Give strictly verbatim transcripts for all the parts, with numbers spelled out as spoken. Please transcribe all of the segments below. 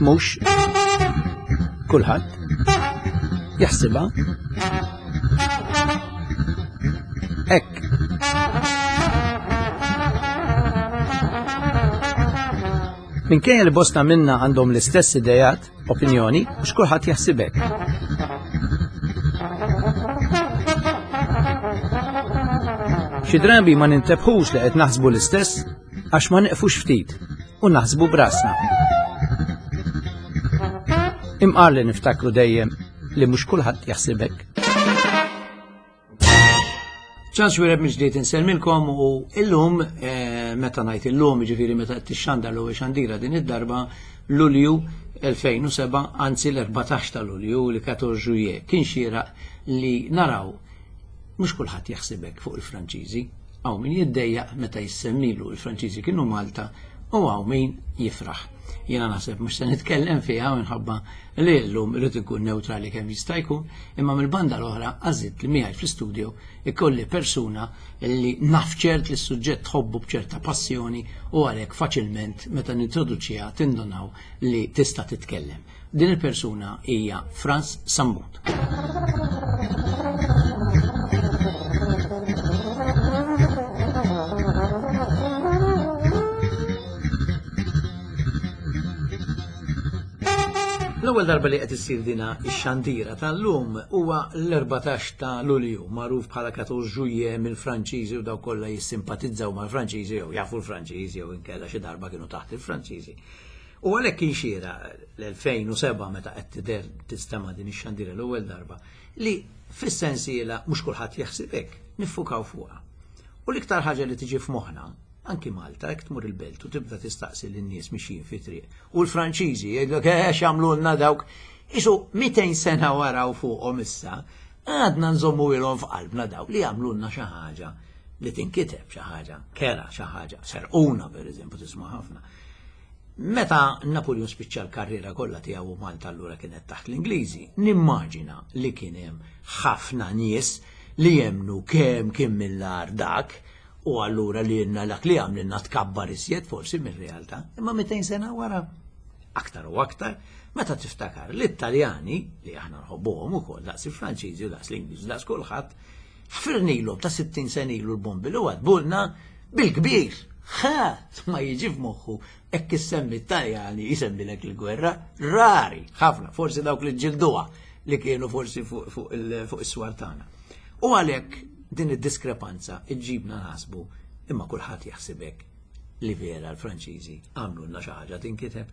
Mhux kulħadd jaħsibha hekk. Minkejja li bosta minna għandhom l-istess idejat, opinjoni, mhux kulħadd jaħsib hekk. Xi drabi ma nintebħux li qed naħsbu l-istess għax ma neqfux ftit u naħsbu brasna. Imqar li niftakru dejjem li mhux kulħadd jaħsib hekk. Ċans wireb miġdiet insellmilkom u illum, eh, meta ngħid illum, jiġifieri meta qed tixxandar l-ewwel xandira din id-darba, Lulju elfejn u sebgħa, anzi l-erbatax ta' Lulju, li quatorze Juillet, kien xieraq li naraw mhux kulħadd jaħsibek fuq il-Franċiżi. Hawn min jiddejjaq meta jissemmilu il-Franċiżi kienu Malta u hawn min jifraħ. Jiena naħseb mhux se nitkellem fiha minħabba li llum irid ikun neutrali kemm jista' jkun, imma mill-banda l-oħra għażilt li miegħi fl-istudio ikolli persuna li naf ċert li s-suġġett tħobbu b'ċerta passjoni u għalhekk faċilment meta nintroduċiha tindunaw li tista' titkellem. Din il-persuna hija Frans Sammut. L-ewwel darba li qed issir dina x-xandira tal-lum huwa l-erbatax ta' Lulju, magħruf bħala quatorze Juillet mill-Franċiżi u dawk kollha jissimpatizzaw mal-Franċiżi jew jafu l-Franċiżi jew inkella xi darba kienu taħt il-Franċiżi. U għalhekk kien xiera l-elfejn u sebgħa meta qed tidher tistema' din ix-xandira l-ewwel darba li fis-sensiela mhux kulħadd jaħseb hekk, niffukaw fuqha. U l-iktar ħaġa li tiġi f'moħħna, anki Malta, jekk tmur il-belt u tibda tistaqsi lin-nies mixjin fi triq. U l-Franċiżi jgħidlek, eh, x'għamlulna dawk, isu mitejn sena wara u fuqhom issa, għadna nżommu ilhom f'qalbna dawk li għamlulna xi ħaġa li tinkiteb, xi ħaġa kera, xi ħaġa serquna pereżempju tisma' ħafna. Meta Napoleon spiċċa l-karriera kollha tiegħu u Malta allura kienet taħt l-Ingliżi, nimmaġina li kien hemm ħafna nies li jemnu kemm kien mill-agħar dak, u allura li jenna dak li għamlilna tkabbar iżjed forsi mir-realtà, imma mitejn sena wara, aktar u aktar, meta tiftakar l-Italjani, li aħna nħobbuhom ukoll daqs il-Franċiżi u daqs l-Ingliżi, daqs kulħadd, ħfirnilhom ta' sittin sena ilu l-bombi li għadbulna bil-kbir. Ħadd ma jiġi f'moħħu hekk issemmi Italjani jsemmilek il-gwerra, rari, ħafna, forsi dawk li ġilduha li kienu forsi fuq, fuq il-, fuq is-swar tagħna. U għalhekk din id-diskrepanza iġġibna naħsbu imma kulħadd jaħsibek li vera l-Franċiżi għamlulna xi ħaġa tinkiteb.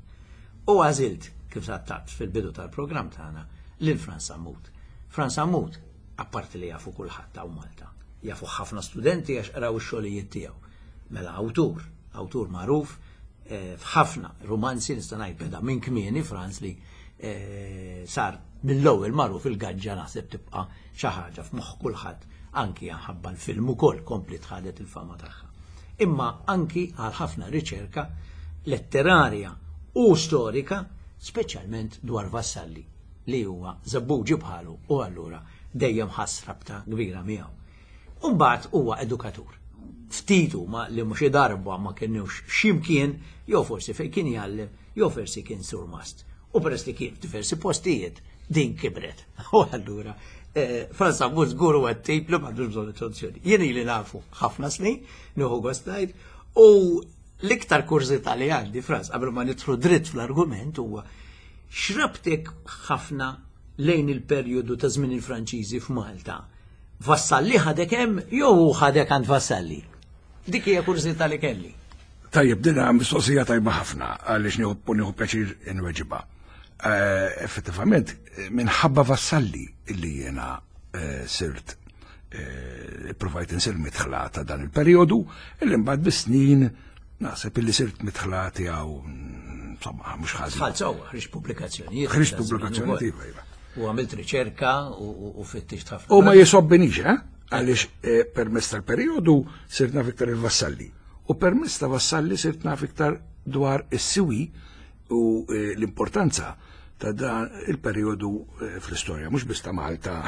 U għażilt kif sattat fil-bidu tal-programm tagħna lil Frans Sammut. Frans Sammut, apparti li jafu kulħadd hawn Malta, jafu ħafna studenti għax qraw ix-xogħlijiet tiegħu. Mela awtur, awtur magħruf, eh, f'ħafna romanzi nista' ngħid beda minn kmieni Frans li, eh, sar mill-ewwel magħruf il-gaġġa naħseb tibqa' xi ħaġa f'moħħ kulħadd, anki ħabba l-film ukoll kompli tħadet il-fama tagħha. Imma anki għal ħafna riċerka letterarja u storika, speċjalment dwar Vassalli li huwa żebbuġi bħalu u allura dejjem ħass rabta kbira miegħu. U mbagħad huwa edukatur. Ftit huma li mhux darba ma kienux x'imkien, jew forsi fejn kien jgħallem, jew forsi kien surmast. U peress li kien f'diversi postijiet, din kibret. U allura, eh, Frans Sammut żgur huwa t-tip li m'għandux bżonn introduzzjoni. Jien ili nafu ħafna snin, nieħu gost ngħid, u l-iktar kurżità li għandi, Frans, qabel ma nidħlu dritt fl-argument huwa x'rabtek ħafna lejn il-perjodu ta' żmien il-Franċiżi f'Malta. Vassalli ħadek hemm jew hu ħadek għand Vassalli? Dik hija kurżità li kelli. Tajjeb, din hija mistoqsija tajba ħafna għaliex nieħu, nieħu pjaċir inweġibha. Eh, effettivament, minħabba Vassalli illi jiena, eh, sirt, eh, provajt insir mitħla ta' dan il-perjodu, illi mbagħad bis-snin naħseb illi sirt mitħla tiegħu, insomma, mhux ħażin. Tħall sewwa, ħriġt pubblikazzjonijiet. Ħriġt pubblikazzjonijiet, iva, iva. U għamilt riċerka u, u, u fittixt ħafna. U ma jisobbinix, eh? Għaliex, eh, permezz tal-perjodu sirt naf iktar il-Vassalli. U permezz ta' Vassalli sirt naf iktar dwar is-siwi u, eh, l-importanza ta' dan il-perjodu, eh, fl-istorja, mhux biss ta' Malta,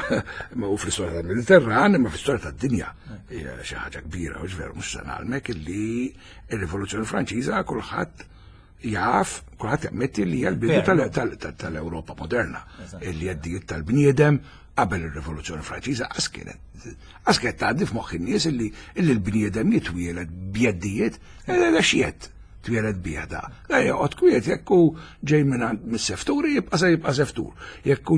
ma u fl-istorja tal-Mediterran, imma fl-istorja tad-dinja. Hija xi ħaġa kbira, u veru, mhux se ngħallmek illi r-Rivoluzzjoni Franċiża kulħadd jaf, kulħadd jammetti li hija l-bidu tal-Ewropa moderna, li jeddijiet tal-bniedem qabel ir-Rivoluzzjoni Franċiża qas kienet qas kienet tgħaddi f'moħħ in-nies illi l-bniedem jitwieled b'jeddijiet, x'jed twieled bih da. La joqgħod kwiet, jekk hu ġej minn mis-sefturi jibqa' se jibqa' seftur. Jekk hu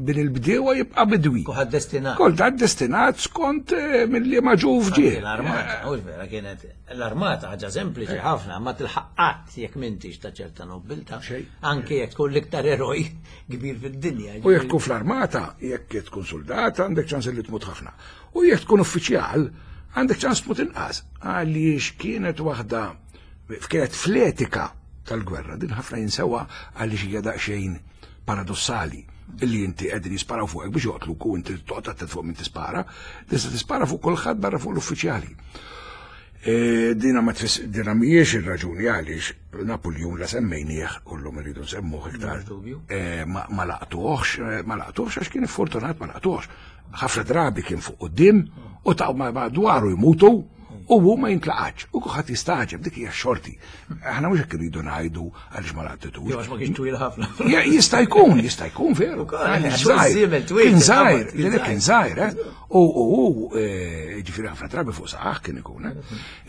bin il-bdiewa jibqa' bidwi. Kulħadd destinat. Kulħadd destinat skont milli ma ġuf ġie. L-armata, u vera kienet l-armata ħaġa sempliċi ħafna, ma tilħaq qatt jekk m'intix ta' ċerta nobilta. Anke jekk tkun l-iktar eroj kbir fid-dinja. U jekk tkun fl-armata, jekk tkun soldat, għandek ċans li tmut ħafna. U jekk tkun uffiċjal, għandek ċans tmut inqas. Għaliex kienet waħda kienet fl-etika tal-gwerra, din ħafna jinsewa għaliex hija daqsxejn paradossali illi inti qegħdin jisparaw fuqek biex joqtluk u inti toqgħod attent fuq min tispara, tista' tispara fuq kulħadd barra fuq l-uffiċjali. Dina ma dina mhijiex ir-raġuni għaliex Napoleon la semmejnieh u llum irridu nsemmuh iktar. Ma laqtuhx, ma laqtuhx għax kien iffortunat ma laqtuhx. Ħafna drabi kien fuq quddiem u ta' madwaru jmutu u hu ma jintlaqatx, u kulħadd jistaġeb, dik hija xorti. Aħna mhux hekk irridu ngħidu għaliex ma laqtitux. Jew għax ma kienx twil ħafna. Jista' jkun, jista' jkun veru. Kien żgħir, kien żgħir, eh? U hu ġifieri ħafna drabi fuq saqaħ kien ikun, eh?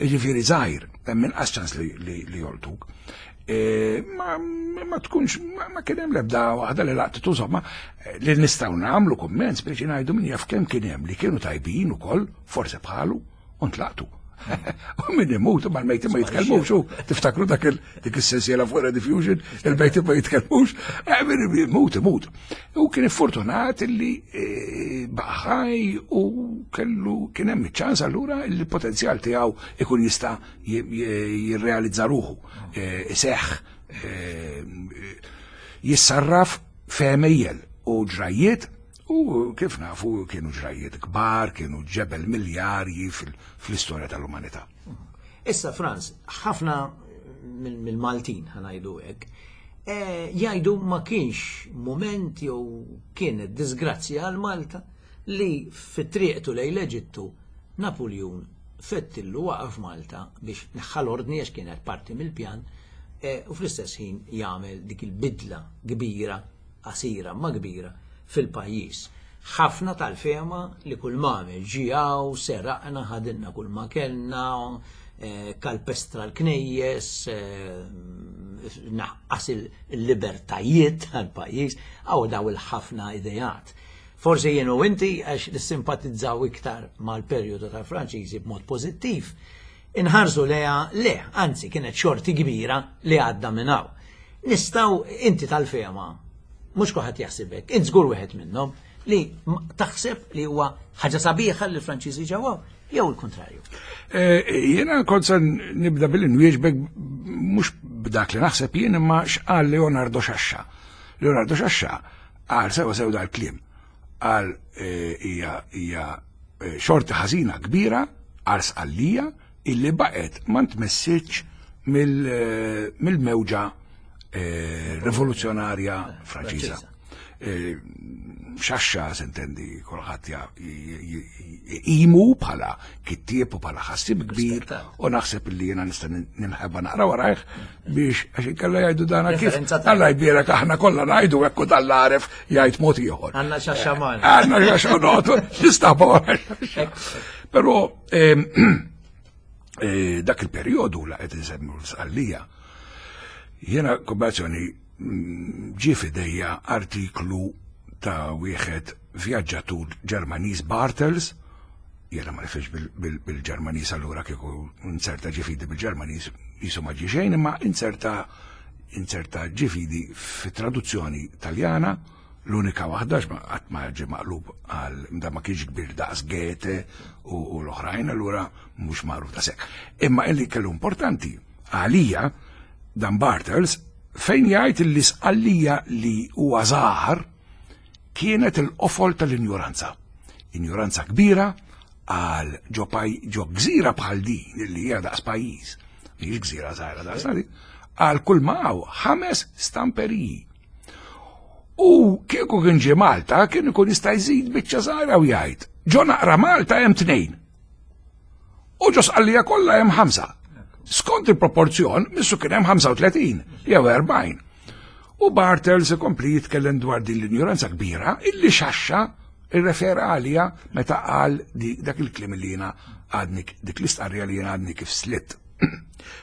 Ġifieri żgħir, hemm inqas ċans li joltuk. Ma tkunx, ma kien hemm l-ebda waħda li laqtitu, insomma, li nistgħu nagħmlu kumment biex ngħidu min jaf kemm kien hemm li kienu tajbin ukoll, forse bħalu, u ntlaqtu. U min imutu mal-mejti ma jitkellmux, u tiftakru dak dik is-sensiela fuq Rediffusion, il-mejti ma jitkellmux, min imut imut. U kien fortunat illi baqa' ħaj u kellu kien hemm iċ-ċans allura li l-potenzjal tiegħu ikun jista' jirrealizza ruħu, iseħħ, jissarraf f'għemejjel u ġrajjiet. U kif nafu kienu ġrajjiet kbar, kienu ġebel miljarji fl-istorja tal-umanità. Issa, Franz, ħafna mill-Maltin, ħanajdu hekk, jgħidu ma kienx moment jew kienet disgrazzja għal Malta li fit-triqtu lejn l-Eġittu Napoleon fettillu waqaf Malta biex neħħal ordni għax kienet parti mill-pjan u fl-istess ħin jagħmel dik il-bidla kbira, qasira ma kbira fil-pajjiż. Ħafna tal-fema li kull m'għamel ġijaw, seraqna, ħadinna kull ma kellna, kalpestra l-knejjes, naqqas il-libertajiet tal-pajjiż, għaw daw il-ħafna idejat. Forsi jien u inti għax nissimpatizzaw iktar mal-perjodu tal-Franċiżi b'mod pożittiv, inħarsu leha le, anzi kienet xorti kbira li għadda minn hawn. Nistgħu inti tal-fema, mhux kulħadd jaħsibek, int żgur wieħed minnhom li taħseb li huwa ħaġa sabiħa li l-Franċiżi ġewwa jew il-kontrarju. Jiena kont se nibda billi nwieġbek mhux b'dak li naħseb jien imma x'qal Leonardo Sciascia. Leonardo Sciascia qal sewa sew dal-kliem. Qal hija hija xorti ħażina kbira għal Sqallija illi baqgħet ma ntmessitx mill-mewġa rivoluzzjonarja Franċiża. Sciascia s'intendi kulħadd imu bħala kittieb u bħala ħassib kbir u naħseb li jiena nista' ninħeba naqra warajh biex għax inkella jgħidu dana kif Alla jbierek aħna kollha ngħidu hekk u dan l-għaref jgħid mod ieħor. Għandna Sciascia magħna. Għandna Sciascia noqgħod nistaħba wara. Però dak il-perjodu la qed insemmu l-Sqallija jiena kombinazzjoni ġie f'idejja artiklu ta' wieħed vjaġġatur Ġermaniż Bartels, jiena ma nifhimx bil-Ġermaniż allura kieku inserta ġifidi bil-Ġermaniż jisu ma ġie xejn, imma inserta inserta ġifidi fit-traduzzjoni Taljana, l-unika waħda qatt ma ġie maqlub għal da ma kienx kbir daqs Goethe u l-oħrajn, allura mhux magħruf ta' sekk. Imma illi kellu importanti għalija dan Bartels fejn jgħid li Sqallija li huwa żgħar kienet il-qofol tal-injuranza. Injuranza kbira għal ġo ġo gżira bħal din li hija daqs pajjiż, mhijiex gżira żgħira daqs din, għal kull ma hawn ħames stamperiji. U kieku kien ġie Malta kien ikun jista' jżid biċċa żgħira u jgħid, ġo naqra Malta hemm tnejn. U ġo Sqallija kollha hemm ħamsa. Skont il-proporzjon, missu kien hemm ħamsa u tletin jew erbgħin. U Bartels ikompli jitkellem dwar din l-injoranza kbira illi Xaxxa irrefera għalija meta qal dak il-kliem li jiena għadni, dik l-istqarrija li jiena għadni kif slitt.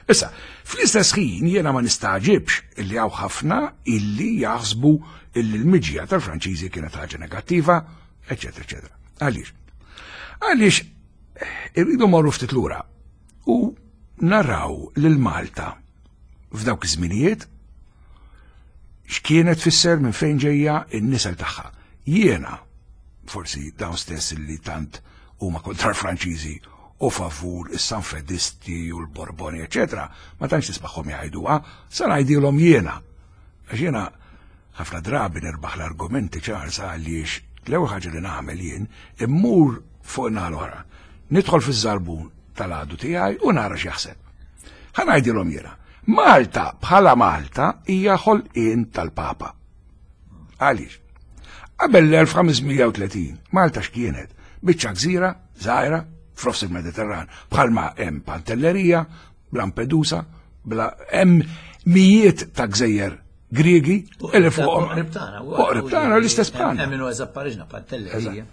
Issa, fl-istess ħin jiena ma nistaġibx illi hawn ħafna illi jaħsbu illi l-miġja tal-Franċiżi kienet ħaġa negattiva, eċetera, eċetera. Għaliex? Għaliex irridu morru ftit lura u naraw lil Malta f'dawk iż-żminijiet x'kienet tfisser minn fejn ġejja n-nisel tagħha. Jiena, forsi dawn stess li tant huma kontra l-Franċiżi u favur is-Sanfedisti u l-Borboni, eċetera, ma tantx tismagħhom jgħiduha, sa ngħidilhom jiena. Għax jiena ħafna drabi nirbaħ l-argumenti ċar sa għaliex l-ewwel ħaġa li nagħmel jien immur fuq naħa l-oħra. Nidħol fiż-żarbun tal-għadu tiegħi u nara x'jaħseb. Ħa ngħidilhom jiena. Malta bħala Malta hija ħolqien tal-Papa. Għaliex? Qabel l-elf ħames mija u tletin, Malta x'kienet? Biċċa gżira, żgħira, f'nofs il-Mediterran, bħalma hemm Pantellerija, Lampedusa, bla hemm mijiet ta' gżejjer Griegi, illi fuqhom. Qrib tagħna, Qrib tagħna l-istess bħalna. Hemm minnu eżatt Pariġna, Pantellerija.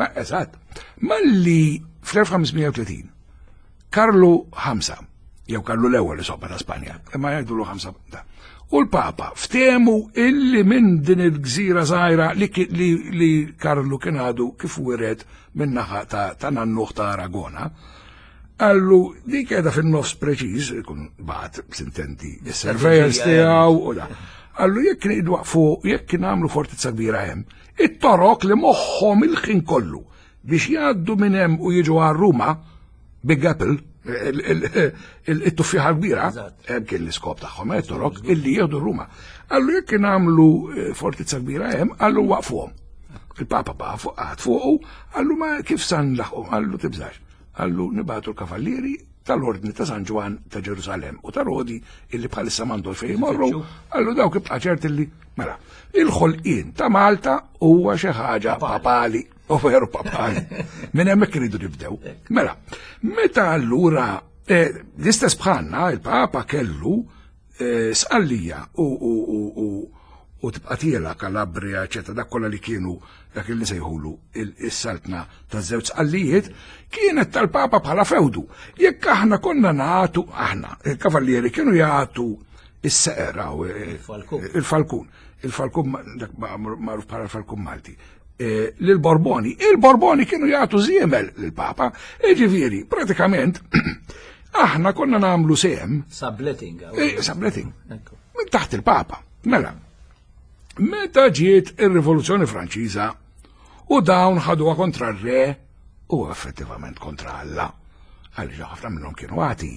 Ma eżatt. Malli fl-elf ħames mija u tletin Karlu ħamsa, jew Karlu l-ewwel li soba ta' Spanja, imma jgħidulu ħamsa da. U l-Papa ftehmu illi minn din il-gżira żgħira li ki-, li, li Karlu kien għadu kif wiret minn naħa ta', ta' nannuħ ta' Aragona, għallu dik qiegħda fin-nofs preċiż, ikun bat sintenti, is-surveyors tiegħu u da. Għallu jekk nidwaqfu, jekk nagħmlu fortizza kbira hemm, it-torok li moħħhom il-ħin kollu biex jgħaddu minn hemm u jiġu għal Ruma, Big Apple, il-tuffiħa kbira, hemm kien l-iskop tagħhom, eh, torok, illi jieħdu Ruma. Għallu jekk nagħmlu, eh, fortizza kbira hemm, għallu waqfuhom. Il-Papa baqa' fuq qagħad fuqu, għallu ma kif san laħqu, għallu tibżax. Għallu nibatu l-kavallieri tal-Ordni ta' San Ġwann ta' Ġerusalem u ta' Rodi illi bħalissa m'għandhom fejn jmorru, għallu dawk ibqa' ċert illi mela, il-ħolqien ta' Malta huwa xi ħaġa papali, u veru papali. Minn hemmhekk iridu nibdew. Mela, meta allura, eh, l-istess bħalna il-Papa kellu, eh, Sqallija u, u, u, u, u tibqa' tiela Kalabria, eċetera, dak kollha li kienu dak li sejħulu il-saltna ta' żewġ Sqallijiet, kienet tal-Papa bħala fewdu. Jekk aħna konna nagħtu, aħna, il-kavallieri kienu jagħtu is-seqra u, eh, Il-falkun. il-falkun. Il-falkun ma-, dak ma-, magħruf bħala l-falkun Malti. Eh, lil-Borboni. Il-Borboni kienu jagħtu żiemel lill-Papa. Jiġifieri, pratikament, aħna konna nagħmlu sehem. Subletting, għaw. Eh, subletting. Ekku. Minn taħt il-Papa. Mela, meta ġiet ir-Rivoluzzjoni Franċiża u dawn ħaduha kontra r-re u effettivament kontra Alla. Għaliex ħafna minnhom kienu għati,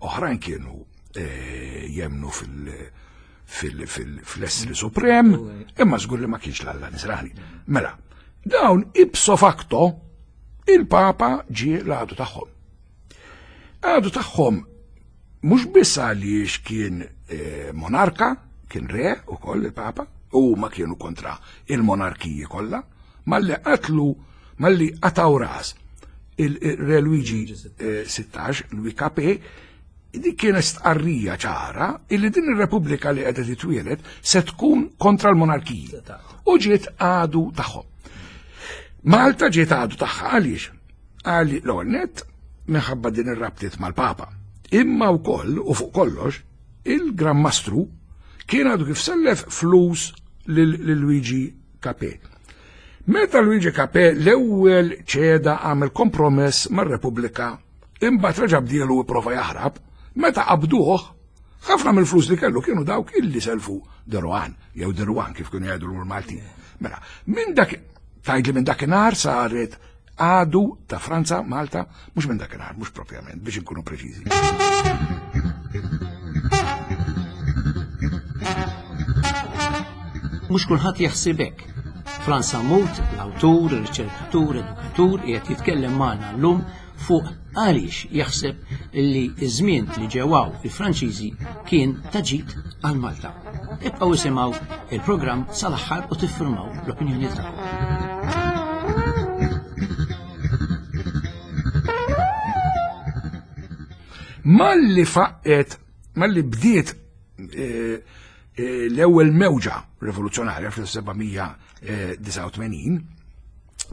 oħrajn kienu, eh, jemnu fil-, fil-, fil-, fl-essri suprem, imma żgur li ma kienx l-Alla Nisrani. Mela, dawn ipso facto il-Papa ġie l-għadu tagħhom. Għadu tagħhom mhux biss għaliex kien, eh, monarka, kien re ukoll il-Papa, u ma kienu kontra il-monarkiji kollha, malli qatlu, malli qataw ras il-re Luigi, eh, sittax, Louis Capet, dik kienet stqarrija ċara illi din ir-Repubblika li qiegħda titwieled se tkun kontra l-monarkiji. U ġiet għadu tagħhom. Malta ġiet għadu tagħha għaliex? Għali l-ewwel nett minħabba din ir-rabtiet mal-Papa. Imma wkoll u fuq kollox il-Gran Mastru kien għadu kif sellef flus lil Luigi Capet. Meta Luigi Capet l-ewwel ċeda għamel kompromess mar-Repubblika, imbagħad reġa' bdielu u prova jaħrab, meta qabduh, ħafna mill-flus li kellu kienu dawk illi selfu Deruan, jew Deruan kif kienu jgħidu l-Maltin. Mela, minn dak, tgħidli minn dakinhar saret għadu ta' Franza, Malta, mhux minn dakinhar, mhux propjament, biex inkunu preċiżi. Mhux kulħadd jaħseb hekk. Frans Sammut, l-awtur, ir-riċerkatur, edukatur, qiegħed jitkellem magħna llum fuq għaliex jaħseb li ż-żmien li ġewaw il-Franċiżi kien ta' ġid għal Malta. Ibqgħu isimgħu il-programm sal-aħħar u tiffirmaw l-opinjoni tagħkom. Malli faqqet, malli bdiet eh, eh, l-ewwel mewġa rivoluzzjonarja fl-elf seba' mija disgħa u tmenin,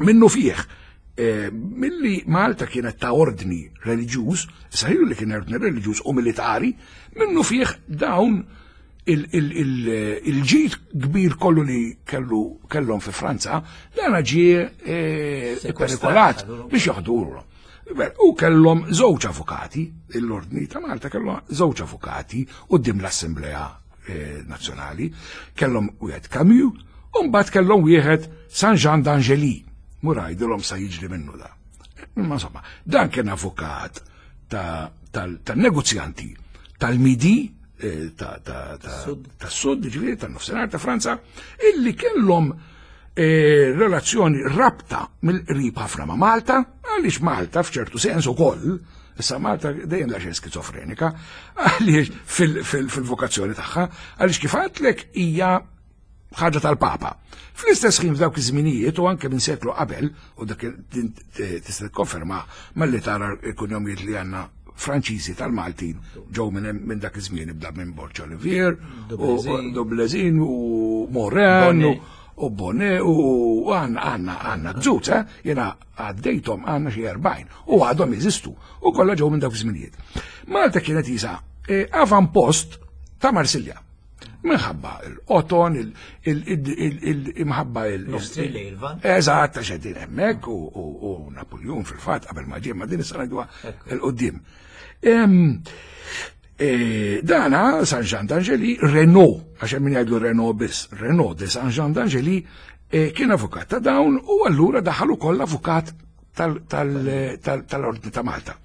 minnu fih, eh, milli Malta kienet ta' ordni reliġjuż, sahilu li kien ordni reliġjuż u militari, minnu fih dawn il-ġid kbir kollu li kellu kellhom fi Franza, dan ġie eh, perikolat biex joħduru. U kellhom żewġ avukati, l-Ordni ta' Malta kellhom żewġ avukati quddiem l-Assemblea eh, Nazzjonali, kellhom wieħed Camus, u mbagħad kellhom wieħed Saint Jean d'Angely. Mur għidilhom sa jiġri minnu da. Ma insomma, dan kien avukat tal-negozjanti tal-Midi, eh, ta' sud, ġifieri tan-nofsinhar ta' Franza, illi kellhom eh, relazzjoni, rabta mill-qrib ħafna ma' Malta, għaliex Malta f'ċertu sens ukoll, issa Malta dejjem daxxejn skizofrenika, għaliex fil-vokazzjoni tagħha, għaliex kif għedtlek hija ħaġa tal-Papa. Fl-istess ħin, f'dawk iż-żminijiet u anke minn seklu qabel, u dak tista' tikkonferma malli tara l-kunjomijiet li għandna Franċiżi tal-Maltin ġew minn dak iż-żmien, ibda minn Borg Olivier, u Dublezin u Moran u Bonnet u għandna għandna għandna gżut, eh? Jena għaddejtom, għandna xi erbgħin u għadhom jeżistu u kollha ġew minn dawk iż-żminijiet. Malta kienet isa eh, avampost ta' Marsilja. Minħabba il-qoton, il-imħabba il- Eżatt, għax qegħdin hemmhekk u Napoleon fil-fatt qabel ma ġie, ma din issa ngħiduha 'l quddiem. E, dana, San Jean d'Angely, Renaud, għax min jgħidlu Renaud biss, Renaud de San Jean d'Angely, e, kien avukat ta' dawn u allura daħal ukoll avukat tal-Ordni ta' Malta.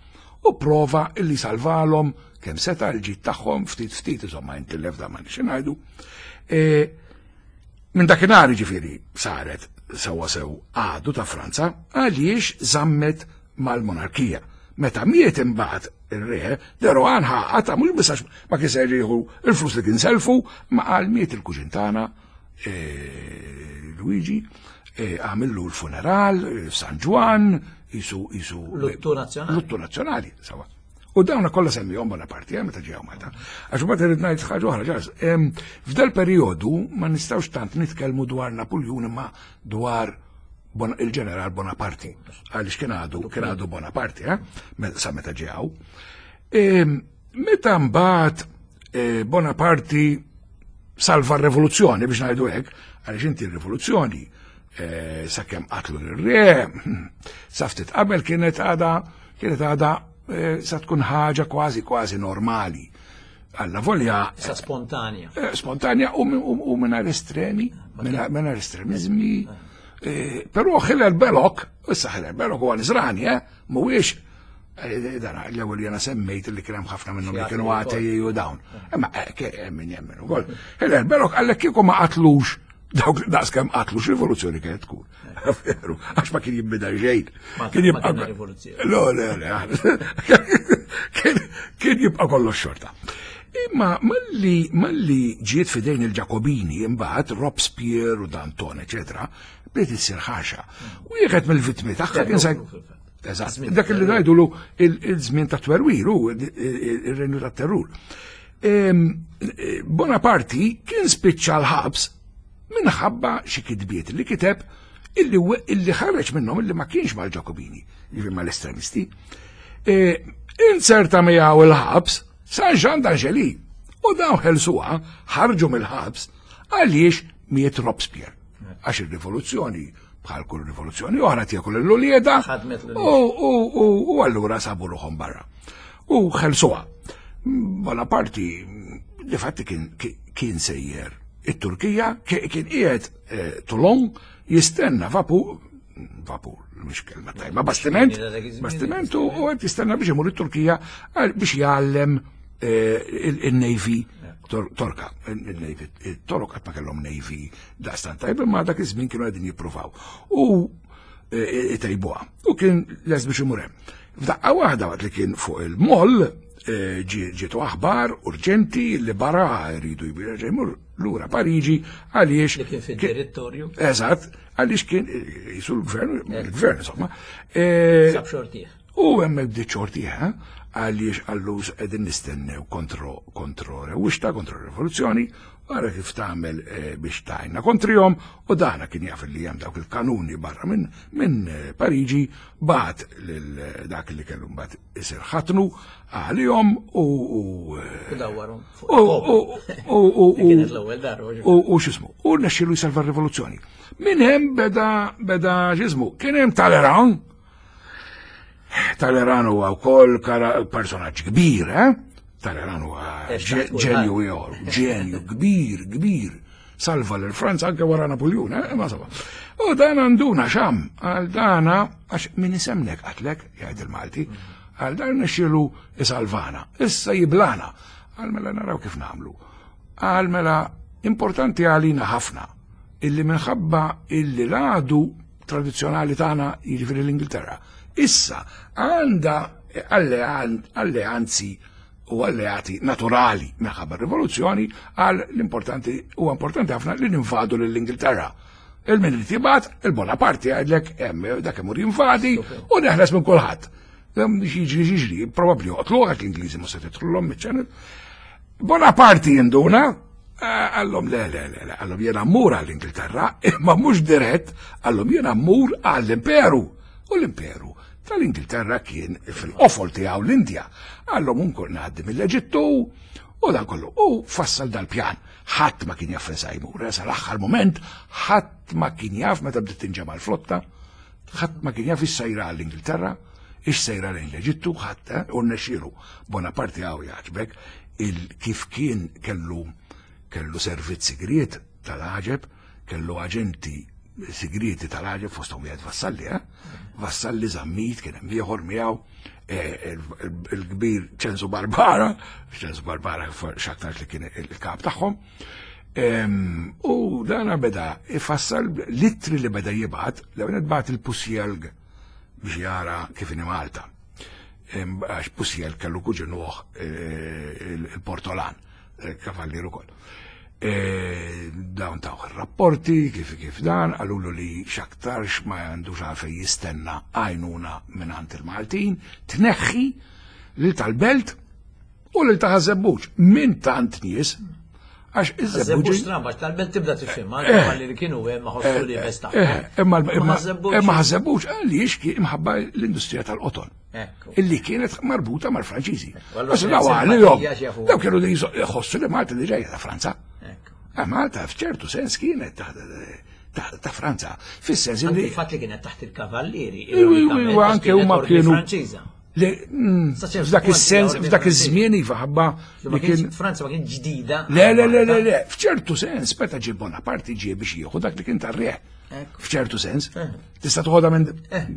U prova illi salvalhom kemm seta' l-ġid tagħhom ftit ftit, insomma, intilef da ma nix ngħidu. E, minn dakinhar ġifieri saret sewwa sew għadu ta' Franza għaliex żammet mal-monarkija. Meta miet imbagħad ir-re, de Rohan ħaqata mhux biss għax ma kien se jieħu il-flus li kien selfu, ma qal miet il-kuġin tagħna eh, Luigi, eh, għamillu l-funeral eh, San Ġwann, jisu jisu Luttu nazzjonali. Luttu nazzjonali, sawa. U dawna kollha semmihom Bonaparte, eh, meta ġew Malta. Għax mbagħad irid ngħid ħaġa oħra, ġas. em, F'dal perjodu ma nistgħux tant nitkellmu dwar Napoleon imma dwar Bon- il-ġeneral Bonaparte. Għaliex kien għadu kien għadu Bonaparte, eh, me- sa meta ġew. Em, Meta mbagħad eh, Bonaparte salva r-rivoluzzjoni, biex ngħidu hekk, għaliex inti r-rivoluzzjoni eh, sakemm qatlu l-re, sa ftit qabel kienet għada kienet għada eh, sa tkun ħaġa kważi kważi normali. Alla volja Sa spontanja. eh, spontanja u u- u mingħajr estremi, mingħajr estremizmi. Eh, Però Hilaire Belloc, issa Hilaire Belloc huwa Nisrani, eh, mhuwiex eh, dan l-ewwel jena semmejt li kien hemm ħafna minnhom li kienu atei u dawn. Imma eh, ke- hemm min jemmen ukoll. Hilaire Belloc għallek kieku ma qatlux dawk daqskemm qatlux, rivoluzzjoni kienet tkun. Veru, għax ma kien jibbida xejn. Ma Kien ma jibqa' kien rivoluzzjoni. Le, le, le. Kien kien jibqa' kollox xorta. Imma malli malli ġiet fidejn il-Ġakobini imbagħad Robespierre u Danton, eċetera, bdiet issir ħaxa. Wieħed mill-vittmi tagħha kien sa Eżatt, dak li ngħidulu il-żmien ta' twerwir u il-renju ta' terrur. Em, eh, Bonaparte kien spiċċa l-ħabs minħabba xi kitbiet li kiteb illi illi ħareġ minnhom illi ma kienx mal-Ġakobini, jiġifieri mal-estremisti. E, Inzerta miegħu il-ħabs San Jean d'Angely u dawn ħelsuha, ħarġu mill-ħabs għaliex miet Robespierre. Għax il-rivoluzzjoni, bħal kull rivoluzzjoni oħra, tiekol l-ulieda Ħadmet l-ulied. u u- u- u allura sabu ruħhom barra. U ħelsuha. Bonaparte di fatti kien kien sejjer it-Turkija, kien qiegħed eh, Toulon jistenna vapur, vapur, mhux kelma tajba, bastiment, bastiment u qed jistenna biex imur it-Turkija għal- biex jgħallem eh, il-Navy Torka, il-Navy, il-Torok qatt ma kellhom Navy daqstan tajba, ma dak iż-żmien kienu qegħdin jippruvaw. U eh, itejbuha. U kien les biex imur hemm. F'daqqa waħda, waqt li kien fuq il-moll, eh, ġie- ġietu aħbar urġenti li barra jridu jbir jmur lura Pariġi għaliex Li kien fid-direttorju. Eżatt, għaliex kien jisu l-gvern, il-gvern insomma. Eh, Sab xortih. U hemmhekk bdiet xorti, eh, għaliex qallu qegħdin nistennew kontro kontro rewwixta, kontro rivoluzzjoni, għara kif tagħmel eh, biex tajna kontrihom, u dana kien jaf li hemm dawk il-kanuni barra minn min eh, Pariġi, bagħat lil dak li kellu mbagħad isir ħatnu għalihom u u U dawwarhom fuq u u u u Li kienet l-ewwel darba. u u x'ismu, u rnexxielu jsalva r-rivoluzzjoni. Min hemm beda beda x'ismu, kien hemm Talleyrand. Talleyrand huwa wkoll kara- personaġġ kbir, eh? Talleyrand huwa Ex ġe- kulħadd. ġenju ieħor, ġenju kbir, kbir. Salva lil Franza anke wara Napoleon, eh? Ma saba. U dan għanduna xam, għal dana, għax min isemnek qatlek, jgħid il-Malti, għal dan nexxielu isalvana, issa jiblana. Għal mela naraw kif nagħmlu. Għal mela importanti għalina ħafna illi minħabba illi l-għadu tradizjonali tagħna, jiġifieri l-Ingilterra, issa għandha allean- alleanzi u alleati naturali minħabba r-rivoluzzjoni, għal l-importanti u importanti ħafna li ninvadu lill-Ingilterra. Il-min li tibgħat, il-Bonaparte għidlek hemm dak imur jinvadi u neħles minn kulħadd. Hemm Jiġri jiġri, probabbli joqtlu għax l-Ingliżi ma se tidħluhom miċ-ċenel. Bonaparte jinduna, eh, qallhom le, le, le, le, qallhom jena mmur għall-Ingilterra, imma mhux dirett, qallhom jena mmur għall-Imperu. U l-Imperu tal-Ingilterra kien fil-qofol tiegħu l-Indja. Qallhom unkun ngħaddi mill-Eġittu u dan kollu. U fassal dal-pjan. Ħadd ma kien jaf fejn sa jmur, eh, sal-aħħar moment, ħadd ma kien jaf meta bdiet tinġema' l-flotta, ħadd ma kien jaf ix sejra għall-Ingilterra, ix sejra lejn l-Eġittu, ħadd eh, u rnexxielu. Bonaparte għaw jaġbek il kif kien kellu kellu servizz sigriet tal-ħaġeb, kellu aġenti sigrieti tal-ħaġeb fosthom wieħed Vassalli, eh? Vassalli, Zammit, kien hemm ieħor miegħu, eh, il- il- il-kbir Ċensu Barbara, Ċensu Barbara x'aktarx li kien il-kap tagħhom. Em, U dana beda ifassal l-ittri li beda jibgħat, l bagħat il-Poussielgue biex jara kif inhi Malta. Em, Għax Poussielgue kellu kuġinuh il-Portolan, kavallier ukoll. E, Dawn taw rapporti kif kif dan, qalulu li x'aktarx ma għandux għalfej jistenna għajnuna minn il-Maltin, tneħħi lil tal-Belt u lil ta' Ħaż-Żebbuġ minn tant nies, għax Żebbuġ iż-Żebbuġ stramba, tal-Belt tibda tifhem, anke li kienu hemm ma ħossu li bes Eh, imma imma Ħaż-Żebbuġ- imma Ħaż-Żebbuġ għaliex kien imħabba l-industrija tal-qoton Ekku. illi kienet marbuta mal-Franċiżi. Allora Għax kienet daw għalihom, simpatija x'jafu. daw kienu li jħossu li Malta li ġejja ta' Franza. Ekku. Ah, Malta f'ċertu sens kienet ta' ta' ta' Franza. Fis-sens Anke li il-fatt li kienet taħt il-kavallieri. Iwa, iwa, iwa, anke huma kienu Franċiża. li mm, Sa ċertu f'dak punt is-sens, hija ordni f'dak Franċiża. iż-żmien iva ħabba Ma li kien kienx Franza ma kien ġdida. Le, le, le, le, le, f'ċertu sens, meta ġie Bonaparte ġie biex jieħu dak li kien tar-re. Ekku. F'ċertu sens, Eh. tista' toħodha minn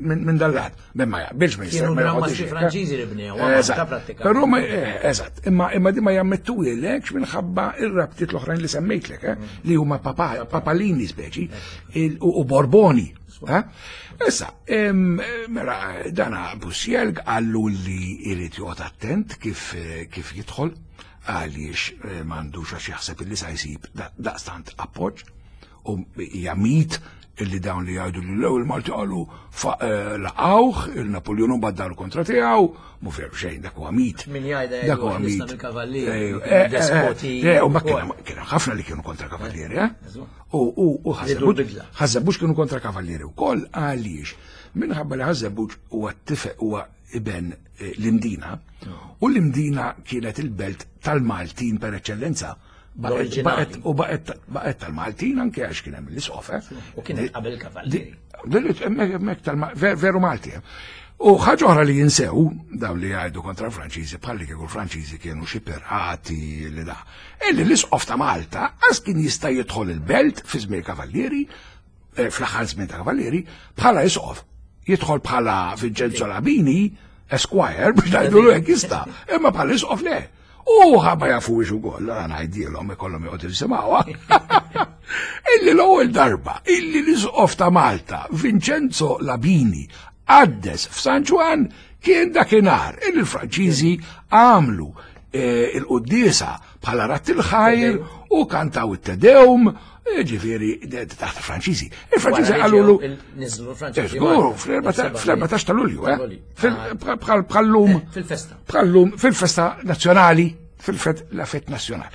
minn minn dal-lat. Ben ma jaqbilx ma jista' Kienu ma Gran joħodix Mastri hekk, eh. Franċiżi li bnew, Malta Eżatt. prattikament. Però ma eh, eżatt, imma imma di ma jammettuhielekx minħabba ir-rabtiet l-oħrajn li semmejtlek, eh, li huma papa, papalini speċi il- u u Borboni. eh. Issa, em, mela dana Poussielgue qallu li jrid joqgħod attent kif eh, kif jidħol għaliex eh, m'għandux għax jaħseb illi sa jsib da- daqstant appoġġ u hija mit illi dawn li jgħidu li l-ewwel Malti qalu fa- eh, laqawh il-Napoleon u baddalu kontra tiegħu, mu veru xejn, dak huwa mit. Min jgħidha Dak huwa jgħidu mit. ħlisna mill-kavallieri, Eh, kienu eh, eh, despoti eh, u ma ukoll. kien kien ħafna li kienu kontra kavallieri, eh? Eżatt. U u u Ridu l-bidla. Ħaż-Żebbuġ kienu kontra kavallieri wkoll għaliex minħabba li Ħaż-Żebbuġ huwa tifel huwa iben eh, l-Imdina u l-Imdina kienet il-belt tal-Maltin per eccellenza. Baqgħet- L-oriġinali. baqgħet- U baqgħet baqgħet tal-Maltin anke għax kien hemm l-isqof, eh? U kienet qabel kavallieri. Di- hemmhekk hemmhekk tal veru Malti. eh. U ħaġa oħra li jinsew, dawn li jgħidu kontra l-Franċiżi, bħalli kieku l-Franċiżi kienu xi pirati li da. Illi l-isqof ta' Malta għas kien jista' jidħol il-belt fi żmien kavallieri, eh, fl-aħħar żmien ta' kavallieri, bħala isqof. Jidħol bħala Vincenzo Labini, Esquire, biex ngħidu hekk jista', imma bħala isqof le. U ħabba jafu biex ukoll, għana ngħidilhom ikollhom joqgħdu jisimgħuha. Illi l-ewwel darba, illi l-isqof ta' Malta, Vincenzo Labini, qaddes f'San Ġwann kien dakinhar illi l-Franċiżi għamlu eh, il-quddiesa bħala radd il-ħajr. u kantaw it-Te Deum, ġifieri taħt il-Franċiżi. Il-Franċiżi qalulu. Niżlu l-Franċiżi. Żgur, fl-erbatax ta' Lulju, eh? Bħal-lum. Fil-festa. Bħal-lum, fil-festa nazzjonali, fil-fête, la fête nationale.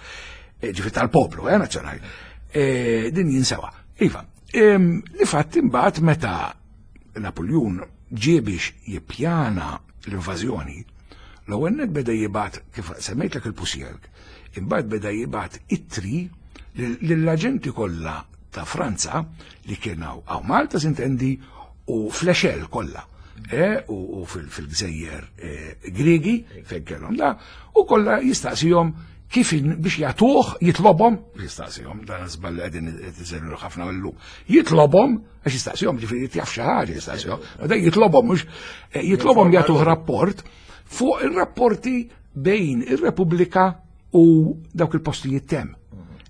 Ġifieri tal-poplu, eh, nazzjonali. Din jinsewa. Iva, li fatt imbagħad meta Napoleon ġie biex jippjana l-invażjoni, l-ewwel nett beda jibgħat, kif semmejtlek il-Poussielgue, imbagħad beda jibgħat ittri lill-aġenti kollha ta' Franza li kienu hawn Malta sintendi u fl-Echelle kollha. U fil-gżejjer Griegi fejn kellhom da, u kollha jistaqsihom kif biex jagħtuh, jitlobhom, jistaqsihom, dan żball qegħdin tiżelu ħafna illum, jitlobhom, għax jistaqsihom, ġifieri jaf xi ħaġa jistaqsihom, ma dan jitlobhom mhux jitlobhom jagħtuh rapport fuq ir-rapporti bejn ir-Repubblika u dawk il-postijiet tem.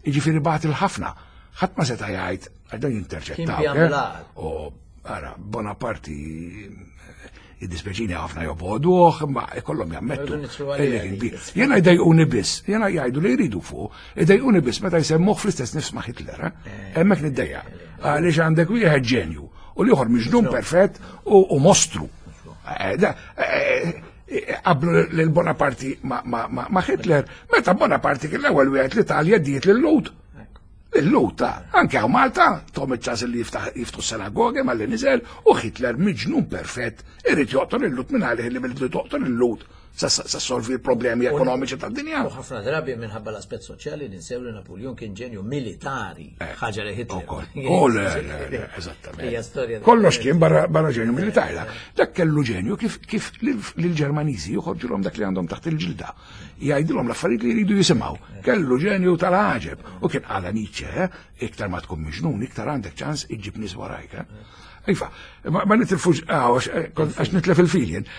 Jiġifieri bagħat il-ħafna, ħadd ma seta' jgħid għax dan jinterċettaw. U ara, Bonaparte id-dispeċini ħafna joboduh, ma ikollhom jammettu. Jena jdejquni biss, jena jgħidu li jridu fuq, jdejquni biss meta jsemmuh fl-istess nifs ma' Hitler, hemmhekk niddejja. Għaliex għandek wieħed ġenju u l-ieħor miġnun perfett u mostru. Qablu lil Bonaparte ma' Hitler, meta Bonaparte kien l-ewwel wieħed l-Italja diet lil-Lhud. Il-Lhud ta' anke hawn Malta, tom iċ-ċans li jiftħu s-sinagogi malli niżel u Hitler miġnun perfett irid joqtol il-Lhud minn għalih li billi toqtol il-Lhud sa solvi l-problemi ekonomiċi tad-dinja. U ħafna drabi minħabba l-aspett soċjali ninsew li Napoleon kien ġenju militari, ħaġa li Hitler. Oh, le, le, le, eżattament. Kollox kien barra ġenju militari. Dak kellu ġenju kif kif lill-Ġermaniżi joħorġulhom dak li għandhom taħt il-ġilda. Jgħidilhom l-affarijiet li jridu jisimgħu. Kellu ġenju tal-għaġeb. U kien qala Nietzsche, iktar ma tkun miġnun, iktar għandek ċans iġġib nies warajk. Iva, ma nitilfux, għax nitlef il-filjen.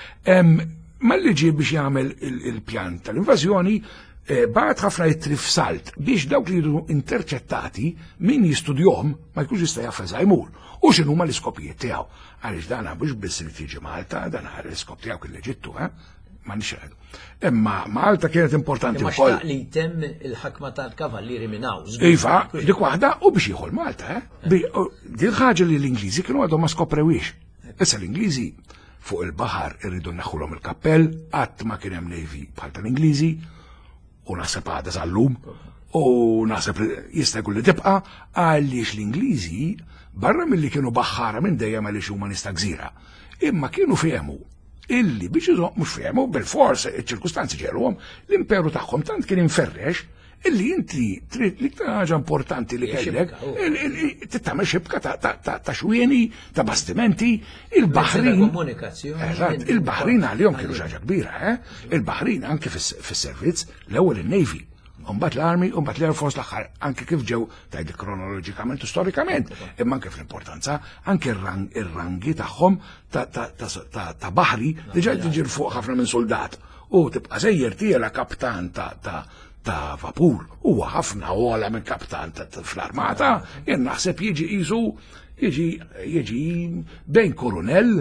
Malli ġie biex jagħmel il-pjan tal-invażjoni, bagħat ħafna ittri f'salt biex dawk li jiġu interċettati min jistudjahom ma jkunx jista' jaf fejn jmur. U x'inhuma l-iskopijiet tiegħu. Għaliex dan mhux biss li tiġi Malta, dan l-iskop tiegħu kien l-Eġittu, eh? Ma nix Imma Malta kienet importanti Imma wkoll. xtaq li jtemm il-ħakma tal-kavallieri minn hawn. Iva, dik waħda u biex jieħu Malta, eh? Din ħaġa li l-Ingliżi kienu għadhom ma skoprewix. Issa l-Ingliżi fuq il-baħar irridu neħħulhom il-kappell, qatt ma kien hemm navy bħal tal-Ingliżi, u naħseb għadha sal-lum, u naħseb li jista' jkun li tibqa' għaliex l-Ingliżi barra milli kienu baħħara minn dejjem għaliex huma nies ta' gżira. Imma kienu fehmu illi biex iżomm mhux fehmu bil-fors iċ-ċirkustanzi ġeruhom l-imperu tagħhom tant kien inferrex illi inti trid l-iktar ħaġa importanti li kellek tittamel xibka ta' xwieni, ta' bastimenti, il-baħrin. Komunikazzjoni. Eżatt, il-baħrin għalihom kienu xi ħaġa kbira, eh? Il-baħrin anke fis-servizz l-ewwel in-Navy. Umbagħad l-Army, umbagħad l-Air Force l-aħħar, anke kif ġew tgħid kronoloġikament u storikament, imma anke fl-importanza, anke ir-rangi tagħhom ta' baħri diġà tiġi fuq ħafna minn soldat. U tibqa' sejjer tiela kaptan ta' ta' vapur, huwa ħafna ogħla minn kaptan fl-armata, jien naħseb jiġi qisu jiġi jiġi bejn koronell,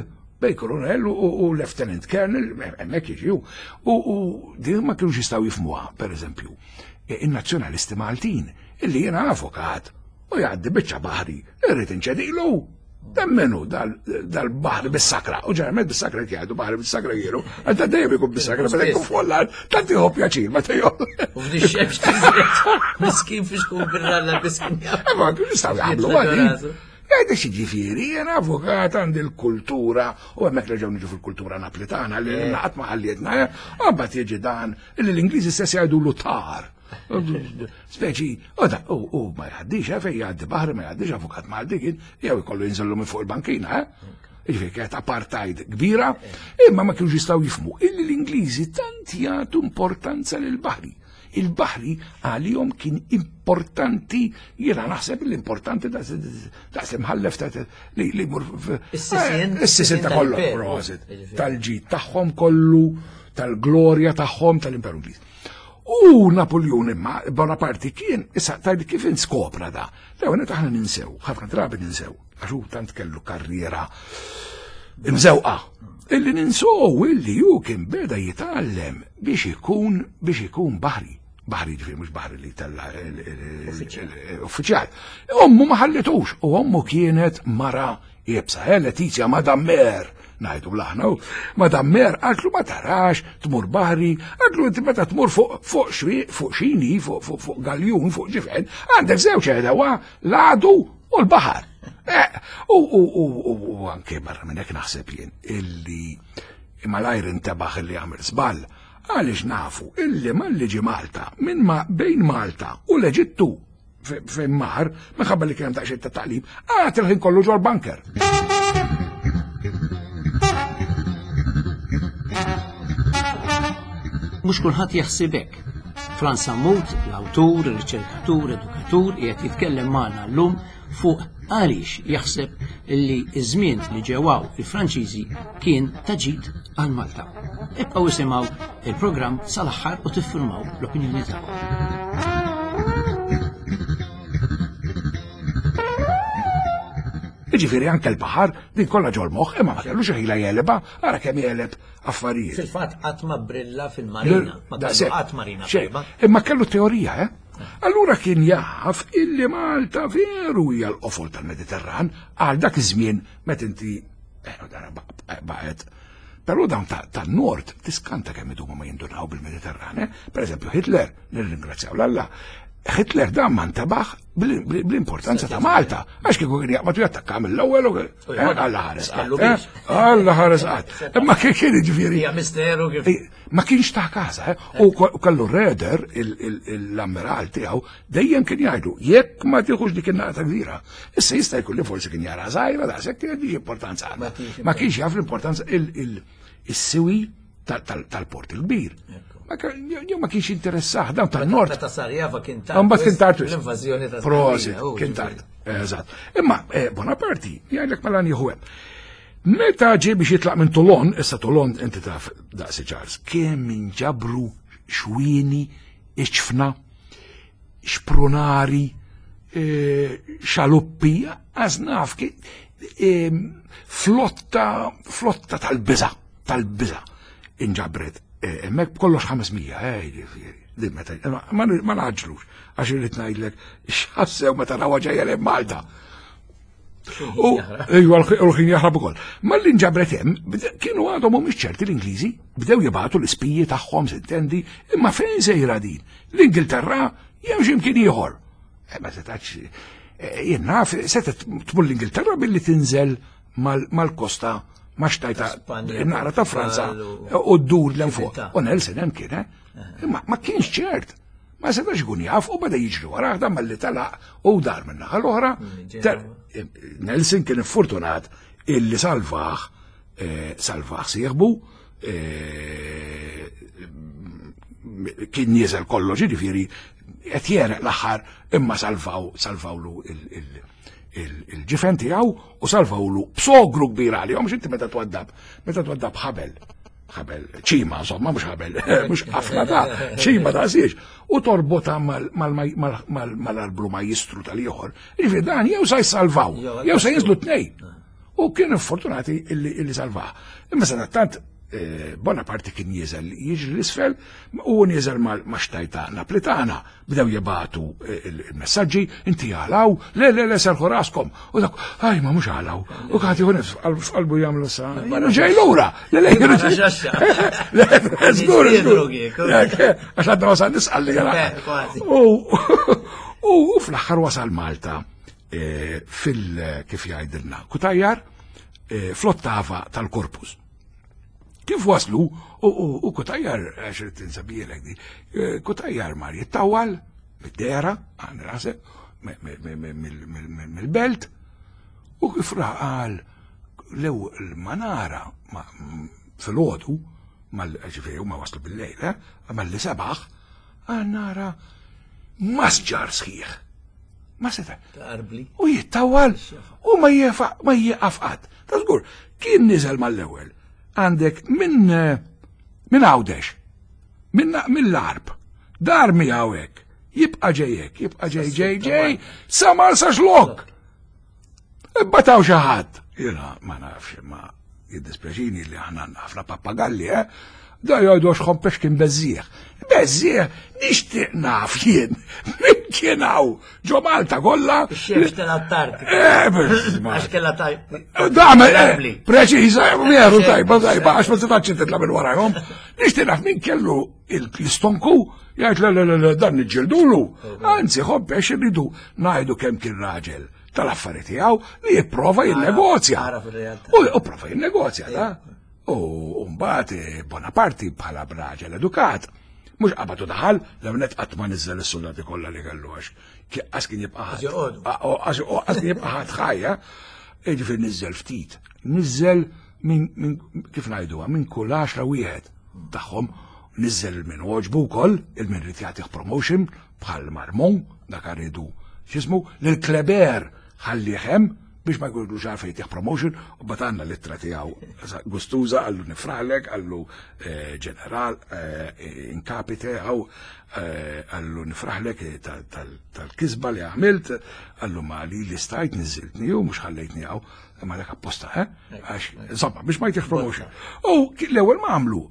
bejn koronell u lieutenant colonel, hemmhekk jiġi u din ma kienux jistgħu jifhmuha, pereżempju, in-nazzjonalisti Maltin, illi jiena avukat u jgħaddi biċċa baħri, irrid inċedilu. Temmenu dal-baħri bis-sakra, u ġeneralment bis-sakra jgħidu baħri bis-sakra jienu, għadda dejjem ikun bis-sakra, meta jkun follar, tant jieħu pjaċir, meta jieħu. U f'di xemx tiżret, miskin fiex kun birralla miskin. Ma kienu jistgħu jagħmlu għadi. Għajda xi ġifieri, jena avukat għandi l-kultura, u hemmhekk reġgħu niġu fil-kultura naplitana li naqat ma ħallietna, mbagħad jiġi dan illi l-Ingliżi stess jgħidu tar. Speċi, u da, u ma jgħaddix, eh, fej jgħaddi baħri, ma jgħaddix avukat Malti kien, jew ikollu jinżellu minn fuq il-bankina, eh? Ġifieri kienet apartheid kbira, imma ma kienux jistgħu jifhmu illi l-Ingliżi tant jagħtu importanza lil baħri. Il-baħri għalihom kien importanti, jiena naħseb l-importanti daqs imħallef li li mur Is-sisien. Is-sisien ta' kollu, prosit, tal-ġid tagħhom kollu, tal-glorja tagħhom tal-Imperu Ingliż. U Napoleon imma Bonaparte kien, issa tajli kif inskopra da. L-ewwel aħna ninsew, ħafna drabi ninsew, għax hu tant kellu karriera imżewqa. Illi ninsow illi ju kien beda jitgħallem biex ikun biex ikun baħri. Baħri ġifieri mhux baħri li tella uffiċjal. Ommu ma ħallitux u ommu kienet mara iebsa, eh, Letizia Madame Mer, ngħidu bl-aħna, Madame Mer qaltlu ma tarax tmur baħri, qaltlu inti meta tmur fuq fuq xwi fuq xini, fuq fuq fuq galjun, fuq ġifen, għandek żewġ għedewa, l-għadu u l-baħar. Eh, U u u u u anke barra minn hekk naħseb jien illi malajr intebaħ illi għamel żball, għaliex nafu illi malli ġie Malta minn ma bejn Malta u l-Eġittu fejn mar, minħabba li kien hemm daqsxejn ta' taqlib, għad il-ħin kollu ġol bunker. Mhux kulħadd jaħseb hekk. Frans Sammut, l-awtur, riċerkatur, edukatur, qiegħed jitkellem magħna llum fuq għaliex jaħseb li ż-żmien li ġewaw il-Franċiżi kien ta' ġid għal Malta. Ibqgħu isimgħu il-programm sal-aħħar u tiffirmaw l-opinjoni tagħkom. Jiġifieri anke l-baħar din kollha ġol moħħ, imma ma kellux ħila jeleba, ara kemm jeleb affarijiet. Fil-fatt qatt ma brilla fil-marina, ma kellu qatt marina Xejn. tajba. Imma kellu teorija, eh? Allura kien jaf illi Malta veru hija l-qofol tal-Mediterran għal dak iż-żmien meta inti eh, dara baqgħet. Però dawn tan-nord tiskanta kemm idumu ma jindunaw bil-Mediterran, eh? Per eżempju Hitler, nirringrazzjaw l-Alla, Hitler dan ma ntabaħ bl-importanza ta' Malta, għax kieku kien jaqbad u jattakka mill-ewwel u Alla ħares qatt. Alla ħares qatt. Imma kien kien jiġifieri. Hija misteru kif. Ma kienx ta' casa, eh? U kellu Reder, l-ammiral tiegħu, dejjem kien jgħidu, jekk ma tieħux dik in-naqra ta' gżira. Issa jista' jkun li forsi kien jara żgħira daqshekk kien diġi importanza għandha. Ma kienx jaf l-importanza il-siwi tal-port il-kbir. Ma ma kienx interessah dawn tan-nord. Meta sar jafa kien tard. Mbagħad kien tard. L-invażjoni ta' Prosit, kien tard. Eżatt. Imma Bonaparte jgħidlek mela nieħu hemm. Meta ġie biex jitlaq minn Toulon, issa Toulon inti taf daqsi Charles, kemm inġabru xwieni, iċfna, xprunari, xaluppi, għaż naf flotta, flotta tal-biża, tal-biża inġabret. Hemmhekk b'kollox ħames mija, din meta ma naġlux, għax irrid ngħidlek x'ħassew meta rawha ġejja lejn Malta. U ejwa l-ħin jaħrab ukoll. Malli nġabret hemm, kienu għadhom mhumiex ċerti l-Ingliżi, bdew jibgħatu l-ispiji tagħhom sintendi, imma fejn sejra din? L-Ingilterra jew x'imkien ieħor. Ma setax, jien naf, setet tmur l-Ingilterra billi tinżel mal-kosta ma xtajta naqra ta' Franza u ddur l fuq. U Nelson hemm kien, eh? Imma ma kienx ċert. Ma setax ikun jaf u beda jiġri warah dan malli telaq u dar minn naħa l-oħra. Nelson kien iffortunat illi salvaħ salvaħ sieħbu, kien nieżel kollox, jiġifieri qed jereq l-aħħar imma salvaw salvawlu il-ġifen tiegħu u salvawlu b'sogru kbir għalihom, x'inti meta twaddab, meta twaddab ħabel, ħabel ċima, insomma, mhux ħabel, mhux ħafna ta' ċima ta' siex, u torbotha mal-arblu majjistru tal-ieħor. Jiġifieri dan jew sa jsalvaw, jew sa jinżlu tnejn. U kienu fortunati illi salvaw. Imma sadattant Bonaparte kien nieżel jiġri l-isfel u nieżel ma' xtajta Naplitana. Bdew jibgħatu il-messaġġi, inti għalaw, le, le, le, serħu raskom. U dak, aj, ma mhux għalaw. U kħat jieħu nifs, f'qalbu jagħmlu sa. Jienu ġej lura. Le, le, jienu ġej. Le, żgur, żgur. Għax għadna wasal nisqal li għala. U fl-aħħar wasal Malta fil, kif jgħidilna, Kutajjar, fl-ottava tal-Korpus. Kif waslu, u Kutajjar, għax irid tinsabielek di, Kutajjar mar jittawal mid-dera, għan rasek, mill-belt, u kif raqal lew il-manara fil-ħodu, ġifieri huma waslu bil-lejl, malli sebaħ, għan nara masġar sħiħ. Ma seta'. U jittawal, u ma jieqaf qatt. Ta' żgur, kien niżel mal-ewwel. Għandek minn minn Għawdex, minn mill-Arb, dar miegħu hekk, jibqa' ġej hekk, jibqa' ġej ġej ġej, sa Marsaxlokk. Ibbataw xi ħadd. Jiena ma nafx, ma Jiddispjaċini li aħna ħafna pappagalli, eh? Da jgħidu għax Hompesch kien beżżieħ. Beżżieħ, nixtieq naf jien. Min kien hawn ġo Malta kollha. Ix-xemx tal-Antartika. Eh, Għax kellha taj. Dame, preċiża, veru tajba, tajba, għax ma setax titla' minn warajhom. Nixtieq naf min kellu l-istonku jgħid le le le dan niġġildulu. Anzi, Hompesch irridu ngħidu kemm kien raġel tal-affari tiegħu li jipprova jinnegozja. U prova jinnegozja, da. U mbagħad Bonaparte bħala raġel edukat. Mhux qabad u daħal, l-ewwel qatt ma niżel is-soldati kollha li kellu għax qas kien jibqa' ħadd. Qas kien jibqa' ħadd ħajja. Jiġifieri niżel ftit. Niżel minn kif ngħiduha, minn kull għaxra wieħed tagħhom niżel il-min għoġbu wkoll, il-min rid jagħtih promotion bħal Marmont, dak rridu x'ismu, lil Kleber ħallih hemm biex ma jkunux għalfejn jtih promotion, u bat għandna l-ittra tiegħu gustuża, għallu nifraħlek, għallu ġeneral in capite, għaw għallu nifraħlek tal-kisba li għamilt, għallu ma li li stajt niżiltni u mhux ħallejtni għaw, imma dak apposta, eh? Għax, insomma, biex ma jtih promotion. U l-ewwel ma għamlu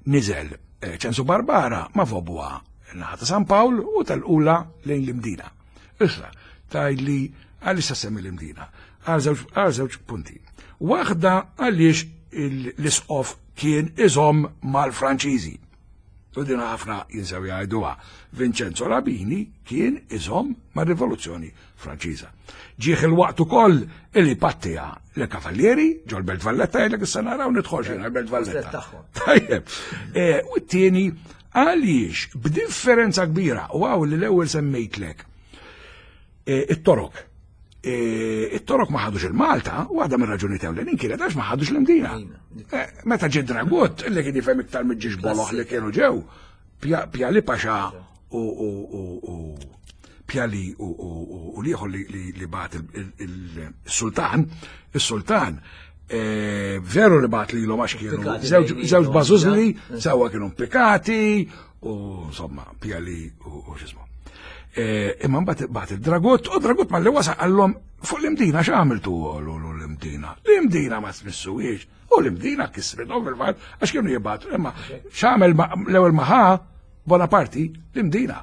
niżel Ċensu Barbara ma Vaubois naħa ta' San Pawl u tal-ula lejn l-Imdina. Issa, tajli għaliex semmi l-Imdina? Għal żewġ punti. Waħda għaliex l-isqof kien iżomm mal-Franċiżi. U din ħafna jinsew jgħiduha. Vincenzo Labini kien iżomm mar-Rivoluzzjoni Franċiża. Ġieħ il-waqt ukoll illi pattija le Kavallieri ġol Belt Valletta jgħidlek issa naraw nidħol xejn għal-Belt Valletta. Tajjeb. U t-tieni għaliex b'differenza kbira u għaw li l-ewwel semmejtlek it-Torok. It-Torok ma ħadux il-Malta, u għadha minn raġuni ewlenin kienet għax ma ħadux l-Imdina. Meta ġie Dragut, illi kien jifhem iktar mill-ġiex boloħ li kienu ġew, Pjali Paxa u Pjali u liħor li bat il-sultan, il-sultan, veru li bat li l-om għax kienu żewġ bażużli, sewa kienu implikati, u insomma, Pjali u x'ismu. Imma mbagħad bagħat il-Dragut, u Dragut malli wasal qallhom fuq l-Imdina x'għamiltu l-Imdina. L-Imdina ma tmissuhiex, u l-Imdina kisrithom fil-fatt għax kienu jibgħatu. Imma x'għamel l-ewwel ma ħa Bonaparte l-Imdina.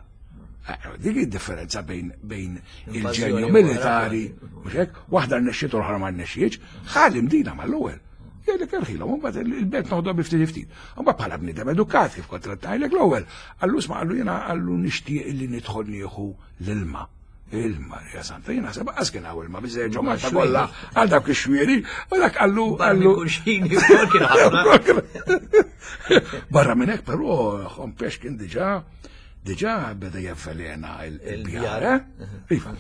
Dik id-differenza bejn bejn il-ġenju militari, mhux hekk, waħda rnexxiet u l-oħra ma rnexxietx, ħa l-Imdina mal-ewwel. Jgħidlek erħilhom, mbagħad il-belt noħodha bi ftit ftit. Mbagħad bħala bniedem edukat kif kont tgħidlek l-ewwel, għallu sma' għallu jiena għallu nixtieq illi nidħol nieħu l-ilma. Ilma, ja santa, jiena seba' qas kien hawn ilma biżejjed ġo Malta kollha għal dawk ix-xwieri, u dak għallu għallu. Barra minn hekk però Hompesch kien diġà diġà beda jevvelena il-bjar, eh? Iva.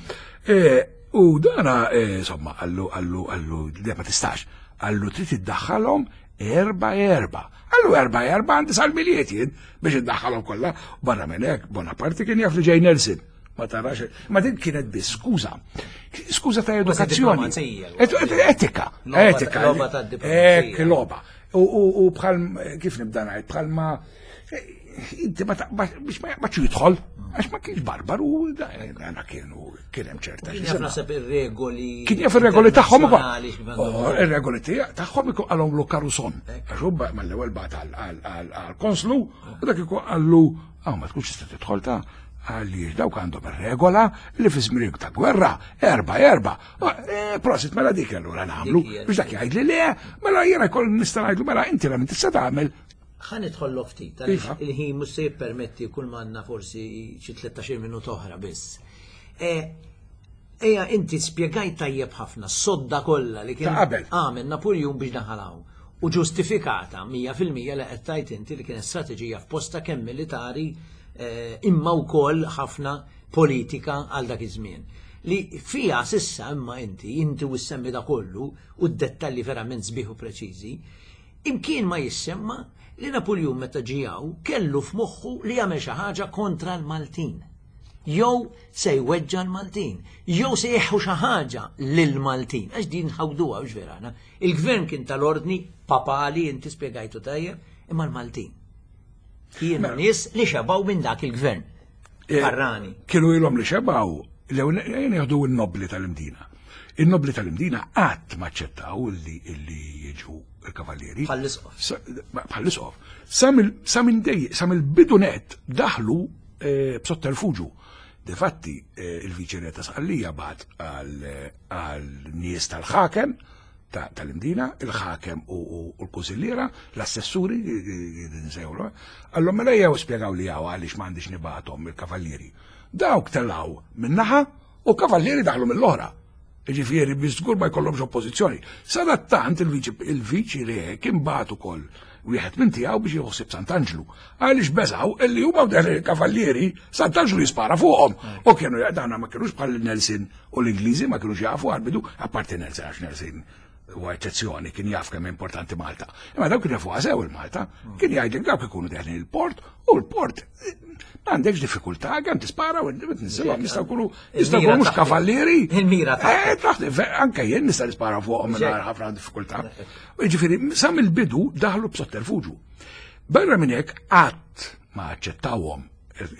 U dana, insomma, għallu għallu għallu ma tistax. Għallu trid iddaħħalhom erba' erba'. Għallu erba' erba' għandi sal-miliet jien biex iddaħħalhom kollha. Barra minn hekk Bonaparte kien jaf li ġej Nelson. Ma tarax, ma din kienet biss skuża. Skuża ta' edukazzjoni. Etika, etika. Ek logħba. U bħal kif nibda ngħid, bħal ma inti ma biex ma jaqbadx jidħol, għax ma kienx barbaru, dana kienu kien hemm ċerta. Kien jaf naħseb ir-regoli. Kien jaf ir-regoli tagħhom ukoll. Ir-regoli tagħhom ikun qalhom lu Caruson. Għax hu mal-ewwel bagħat għall-konslu u dak ikun qallu hawn ma tkunx tista' tidħol ta' għaliex dawk għandhom ir-regola li fi żmien ta' gwerra erba' erba'. Prosit mela dik allura nagħmlu biex dak jgħid li le, mela jiena jkoll nista' ngħidlu mela inti la tista' tagħmel. Ħa nidħollu ftit, għaliex il-ħin mhux se jippermetti kull m'għandna forsi xi tlettax-il minuta oħra biss. Ejja inti spjegajt tajjeb ħafna s-sodda kollha li kien għamel Napoleon biex daħal hawn. U ġustifikata mija fil-mija li qed tgħid inti li kienet strateġija f'posta kemm militari imma wkoll ħafna politika għal dak iż-żmien. Li fija sissa imma inti, inti u ssemmi da kollu u d-dettalji verament sbieħ u preċiżi, imkien ma jissemma li Napoleon meta ġie hawn kellu f'moħħu li jagħmel xi ħaġa kontra l-Maltin. Jew se jweġġa l-Maltin, jew se jeħu xi ħaġa lill-Maltin. Għax din ħawduha biex vera aħna. Il-gvern kien tal-ordni papali, inti spjegajtu tajjeb, imma l-Maltin kienu nies li xebaw minn dak il-gvern. Barrani. Kienu ilhom li xebaw, l-ewwel jieħdu n-nobli tal-Imdina. Il-nobli tal-Imdina qatt ma aċċettaw illi illi jiġu il-kavallieri. Bħall-isqof. Sa- Bħall-isqof. Sa mill- Sa minn dej, sa mill-bidu net daħlu eh, b'sotterfuġu. Difatti, eh, il-viċi ta' Sqallija bagħat għal nies tal-ħakem ta' tal-Imdina, il-ħakem u u- u l-kunsilliera, l-assessuri, nsejħulu, għallhom mela jew spjegaw li għaw għaliex m'għandix nibgħathom il-kavallieri. Dawk telaw min-naħa u kavallieri daħlu mill-oħra. Ġifieri, biex żgur ma jkollhomx oppożizzjoni. Sadattant il-viċi il-viċi re kien bagħat ukoll wieħed minn tiegħu biex jħossib Sant'Anġlu. Għaliex beżaw illi huma u il-kavallieri Sant'Anġlu jispara fuqhom. U kienu dawna ma kienux bħal Nelson u l-Ingliżi ma kienux jafu għal-bidu, apparti Nelson għax Nelson huwa eċċezzjoni kien jaf kemm importanti Malta. Imma dawk kienu jafu sew il-Malta, kien jgħidlek dawk ikunu deħlin il-port u l-port eh, m'għandekx diffikultà kemm tispara u tinżilhom jistgħu jkunu jistgħu jkunu mhux taħt. kavallieri. Il-mira taħt. Eh, taħt, anke jien nista' nispara fuqhom mingħajr ħafna diffikultà. U Jiġifieri sa mill-bidu daħlu b'sotterfuġu. Barra minn hekk qatt ma aċċettawhom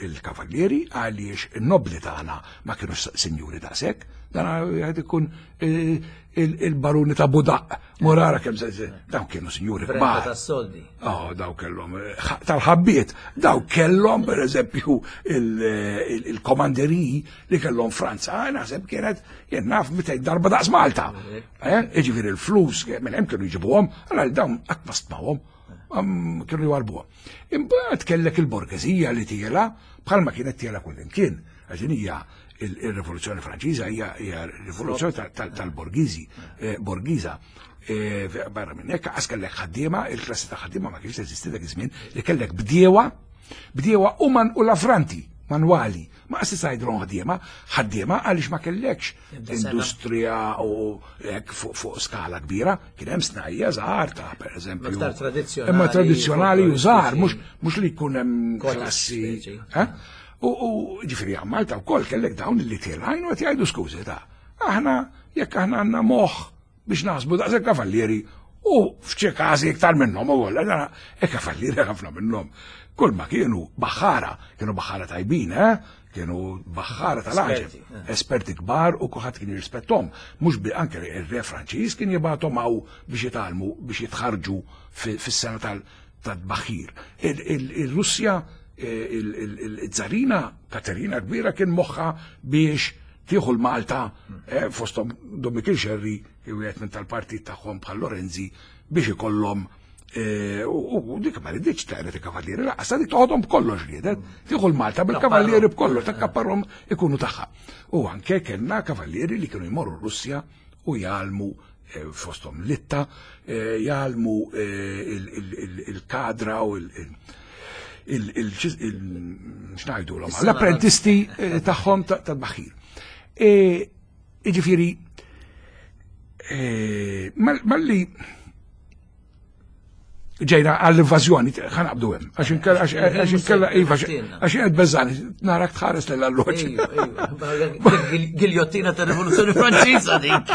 il-kavallieri għaliex il-nobli tagħna ma kienux sinjuri daqshekk, dan għad ikun eh, il-baruni ta' Budaq, morara kemm se dawn kienu sinjuri Brenta kbar. tas-soldi. Oh, daw kellhom eh, tal-ħabbiet, daw kellhom per eżempju il-komanderiji li kellhom Franza, eh, naħseb kienet jien naf mitejn darba daqs Malta. Eh, Jiġifieri il-flus minn hemm kienu jġibuhom, allora dawn qatt ma stmawhom, am, kienu jwarbuhom. Imbagħad kellek il-borgesija li tiela bħalma kienet tiela kullimkien. Għax din hija il-Rivoluzzjoni Franċiża hija hija rivoluzzjoni tal-borgiżi, eh, borgiża. Eh, Barra minn hekk għas kellek ħaddiema, il-klassi ta' ħaddiema ma kienx teżisti dak iż-żmien, li kellek bdiewa, bdiewa u man u lavranti manwali. Ma qas tgħidilhom ħaddiema, ħaddiema għaliex ma kellekx Ebda sena. industrija u hekk fuq fuq skala kbira, kien hemm snajja żgħar ta' pereżempju. Iktar tradizzjonali, Imma tradizzjonali u żgħar, mhux mhux li jkun hemm Cottage klassi. speċi. Eh? U u ġifieri għal Malta wkoll kellek dawn li tilgħin u qed jgħidu skużi ta' aħna jekk aħna għandna moħħ biex naħsbu daqshekk kavallieri u f'xi każi iktar minnhom ukoll, e kavallieri ħafna minnhom. Kull ma kienu baħħara, kienu baħħara tajbin, eh? Kienu baħħara tal-għaġeb, Esperti, eh. esperti kbar u kulħadd kien jirrispettom. Mhux bi anke ir-re Franċiż kien jibgħathom hawn biex jitgħallmu biex jitħarġu fi- fis-sena tal- tal-baħir. Il-Russja, il-Zarina Katerina kbira kien moħħa biex tieħu l-Malta eh, fosthom Dom Mikiel Xerri, wieħed minn tal-partit tagħhom bħal Lorenzi biex ikollhom eh, u u dik ma riditx taqret il-kavallieri, laqas dik toħodhom b'kollox riedet, tieħu l-Malta bil-kavallieri b'kollox, takkapparhom ikunu tagħha. U anke kellna kavallieri li kienu jmorru Russja u jgħallmu eh, fosthom Litta, eh, jgħallmu eh, il- il- il- il-kadra u il- il- il- il- il- x'ngħidu l l-apprentisti eh, tagħhom ta- tal-baħir. E, Iġifieri, eh, mal- malli ġejna għall-invażjoni, ħa naqbdu hemm, għax inkella għax inkella iva, għax qed beżani, narak tħares l-alloġ. Ejju, ejju. Giljottina ta' Rivoluzzjoni Franċiża dik.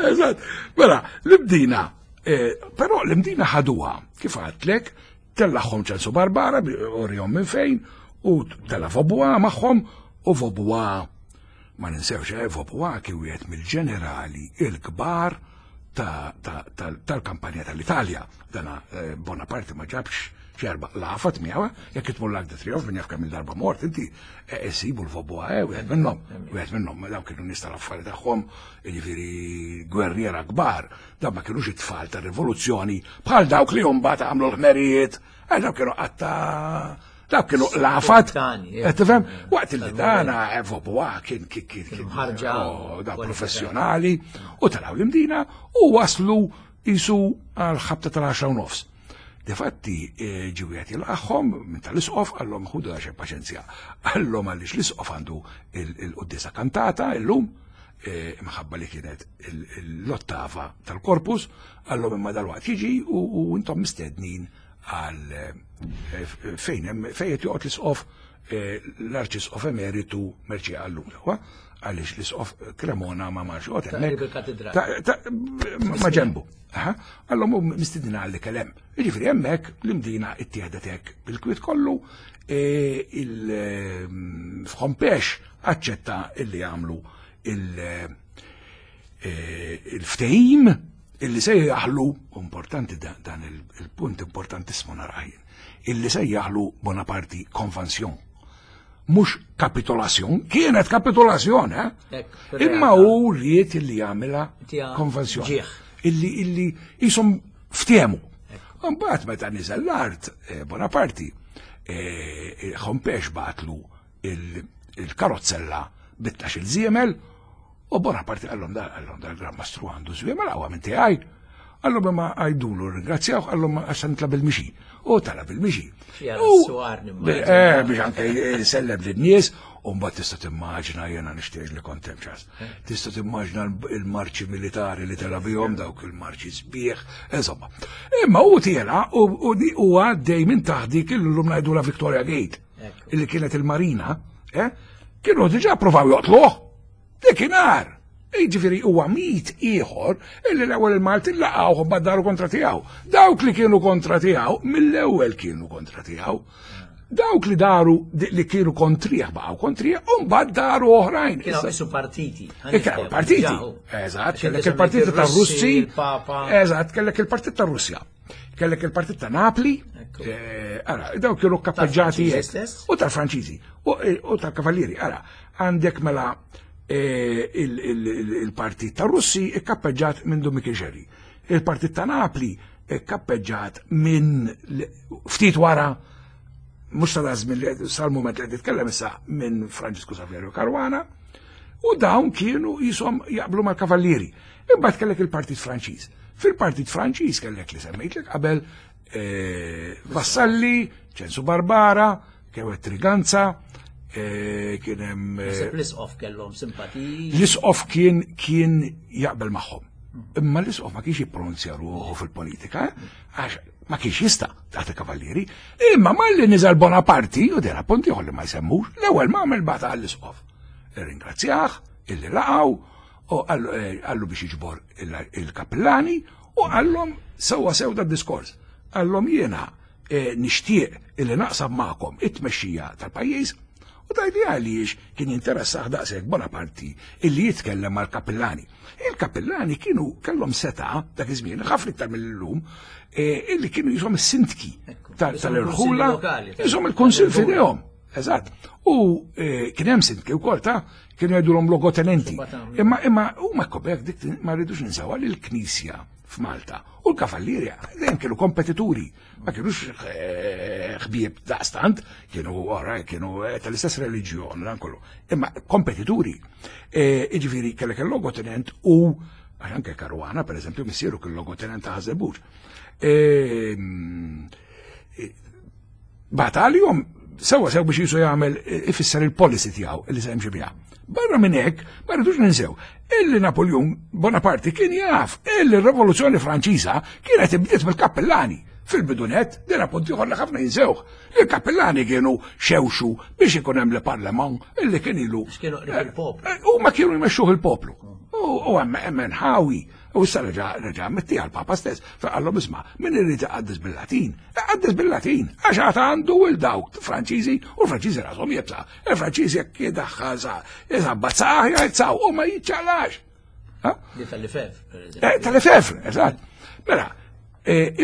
Eżatt. Mela, l-Imdina, eh, però l-Imdina ħaduha, kif għedtlek, tellagħhom Ċensu Barbara, urihom minn fejn, u tella Vaubois magħhom, u Vaubois, ma ninsewx, eh, Vaubois kien wieħed mill-ġenerali il-kbar tal-kampanja tal-Italja. Dana eh, Bonaparte ma ġabx xerba lafat miegħu, jekk itmur l-Arc de Triomphe minn jaf kemm il-darba mort, inti isibu l-Vaubois, eh, wieħed minnhom, wieħed minnhom, dawn kienu nies tal-affari tagħhom, jiġifieri gwerriera kbar, dawn ma kienux it-tfal tar-rivoluzzjoni bħal dawk li mbagħad għamlu l-ħmerijiet, eh, dawk kienu qatta dawk kienu lafat. Spontani, eh. Tifhem? Waqt li dana Vaubois kien kien kien kien Mħarġa. oh, da professjonali u taraw l-Imdina u waslu jisu għal ħabta tal-għaxra u nofs. Difatti ġiwiet jilqagħhom minn tal-isqof għallhom ħudu għaxe paċenzja. Għallhom għaliex l-isqof għandu il-qoddisa kantata illum eh, imħabba li kienet l-ottava tal-korpus, għallhom imma dal-waqt jiġi u u intom mistednin għal eh, fejn hemm fejn qed joqgħod l-isqof eh, l-arċisqof emeritu Mercieca Ellul, għaliex l-isqof Cremona ma marx joqgħod hemmhekk. Taqrib il-katedral. Ta- ta- ma ġembu. Aha. Għallhom u mistednin għalli kellem. Jiġifieri hemmhekk l-Imdina ittieħdet hekk bil-kwiet kollu e, il-Hompesch aċċetta illi għamlu il-ftehim illi sejjaħlu, importanti dan il-punt importantissimo narah, illi sejjaħlu Bonaparte convention. Mhux kapitolazzjon, kienet kapitolazzjon, eh? Imma hu ried illi jagħmilha konvenzjon. Illi illi jisom ftehmu. Mbagħad meta niżel l-art Bonaparte, Hompesch bagħatlu il-karozzella bit-tnax il-żiemel u Bonaparte qallhom da qallhom da l-Gran Mastru għandu żwiemel għawa minn tiegħi. Qallhom imma għajdulu ringrazzjaw, qallhom għax nitla' bil-mixi. U tala bil-mixi. Eh, biex anke sellem lin-nies, u mbagħad tista' timmaġina jiena nixtieq li kont hemm ċas. Tista' timmaġina l-marċi militari li tela bihom dawk il-marċi sbieħ, insomma. Imma hu tiela u għaddej minn taħt dik illum ngħidula Victoria Gate, illi kienet il-marina, eh? Kienu diġà provaw joqtluh. Dikinhar. Jiġifieri huwa mit ieħor illi l-ewwel il-Maltin laqgħuh u daru kontra tiegħu. Dawk li kienu kontra tiegħu mill-ewwel kienu kontra tiegħu. Dawk li daru li kienu kontrih baqgħu kontrih u mbagħad daru oħrajn. Kienu qisu partiti. Kienu partiti. Eżatt, kellek il-partit tar-Russi. Eżatt, kellek il-partit tar-Russja. Kellek il-partit ta' Napli. Ara, dawk kienu kappeġġati. U tal-Franċiżi u tal-Kavallieri. Ara, għandek mela il-partit ta' Russi ikkappeġġat minn Dun Mikiel Xerri. Il-partit ta' Napli ikkappeġġat minn ftit wara, mhux ta' żmien sal-mument li qed titkellem issa, minn Franġisku Saverio Caruana, u dawn kienu jisom jaqblu mal-Kavallieri. Imbagħad kellek il-Partit Franċiż. Fil-Partit Franċiż kellek li semmejtlek qabel Vassalli, Ċensu Barbara, Kewet Triganza, kien hemm l-isqof kellhom simpatiji. L-isqof kien kien jaqbel magħhom. Imma l-isqof ma kienx jippronunzja ruħu fil-politika, għax ma kienx jista' taħt il-Kavallieri. Imma malli niżel Bonaparte, u dera punt ieħor li ma jsemmux, l-ewwel ma għamel bagħat għall-isqof. Irringrazzjah, illi laqgħu, u qallu biex jiġbor il-kappillani, u qallhom sewwa sew dad-diskors. Qallhom jiena nixtieq illi naqsam magħkom it-tmexxija tal-pajjiż. U tajdi għaliex kien jinteressah daqshekk Bonaparte illi jitkellem mal-kappillani. Il-kappillani kienu kellhom seta' dak iż-żmien ħafna iktar mill-lum, illi kienu jisom is-sindki tal-irħula, jisom il-kunsill f'idejhom. Eżatt. U kien hemm sindki wkoll ta' kienu jgħidulhom logotenenti. Imma imma huma kobek dik ma rridux ninsewha li l-Knisja f'Malta u l-Kavallieri dejjem kienu kompetituri, ma kienux ħbieb daqstant, kienu ora kienu tal-istess reliġjon dan kollu, imma kompetituri. Jiġifieri kellek il-logotenent u għax anke Caruana pereżempju missieru kien logotenent ta' Ħaż-Żebbuġ. Bagħat għalihom sewwa sew biex jisu jagħmel ifisser il-policy tiegħu li se jimxi biha. Barra minn hekk, ma rridux ninsew, illi Napoleon Bonaparte kien jaf illi r-Rivoluzzjoni Franċiża kienet ibdiet mill-kappellani. Fil-bidunet, din appunt ieħor li ħafna jinsewh. Il-kappellani kienu xewxu biex ikun hemm l-parlament illi kien ilu. Kienu qrib il-poplu. Huma kienu jmexxuh il-poplu. U hemm hemm nħawi. U issa reġa' reġa' mittieha l-Papa stess, faqallhom isma' min irid iqaddes bil-Latin, iqaddes bil-Latin, għax għad għandu il dawk Franċiżi u l-Franċiżi rashom jibsa. Il-Franċiżi jekk jidaħħal sa jisabbat saħ jgħid u ma jiċċaqlax. Di tal-Lefebvre, per eżempju. Tal-Lefebvre, eżatt. Mela,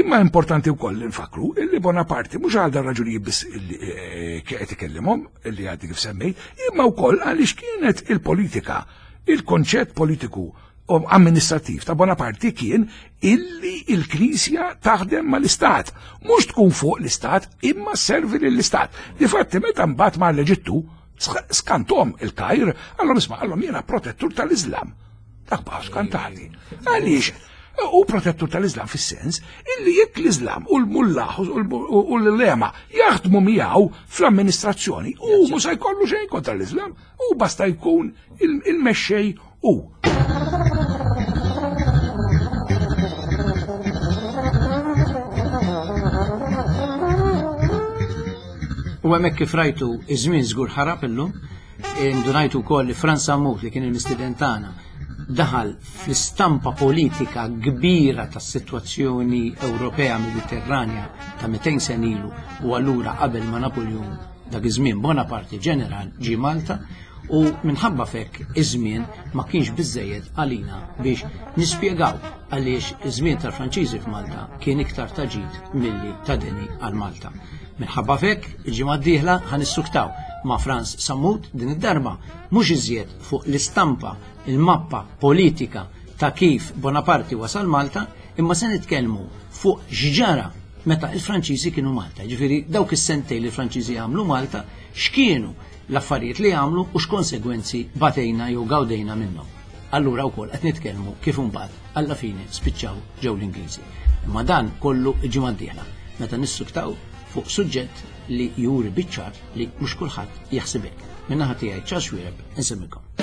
imma importanti wkoll li nfakru illi Bonaparte mhux għal dan raġunijiet biss illi qed ikellimhom illi għaddi kif semmejt, imma wkoll għaliex kienet il-politika, il-konċett politiku amministrativ ta' Bonaparte kien illi il-Knisja taħdem mal-Istat, mhux tkun fuq l-Istat imma servi lill-Istat. Difatti meta mbagħad mar l-Eġittu skantom il-Kajr, għallhom isma' għallhom jiena protettur tal-Islam. Dak baqgħu skantati. Għaliex? U protettur tal-Islam fis-sens illi jekk l-Islam u l-mullaħ u l-lema jaħdmu miegħu fl-amministrazzjoni u mhux se jkollu xejn kontra l-Islam, u basta jkun il-mexxej u. U hemmhekk kif rajtu iż-żmien żgur ħarab illum, indunajtu wkoll li Frans Sammut li kien il-mistieden tagħna daħal fl-istampa politika kbira tas-sitwazzjoni Ewropea Mediterranja ta' mitejn sen ilu u allura qabel ma Napoleon dak iż-żmien Bonaparte ġeneral ġie Malta U minħabba f'hekk iż-żmien ma kienx biżejjed għalina biex nispjegaw għaliex iż-żmien tal-Franċiżi f'Malta kien iktar ta' ġid milli ta' deni għal Malta. Minħabba f'hekk il-ġimgħa d-dieħla ħa nissuktaw ma' Frans Sammut, din id-darba mhux iżjed fuq l-istampa, il-mappa politika ta' kif Bonaparte wasal Malta, imma se nitkellmu fuq x'ġara meta il-Franċiżi kienu Malta. Ġifieri dawk is-sentejn li l-Franċiżi għamlu Malta, x'kienu l-affarijiet li għamlu u x'konsegwenzi batejna jew gawdejna minnhom. Allura wkoll qed nitkellmu kif imbagħad alla fine spiċċaw ġew l-Ingliżi. Imma dan kollu il-ġimgħa d-dieħla meta nissuktaw fuq suġġett li juri biċ-ċar li mhux kulħadd jaħseb hekk. Min-naħa tiegħi, Charles Xuereb, insellmilkom.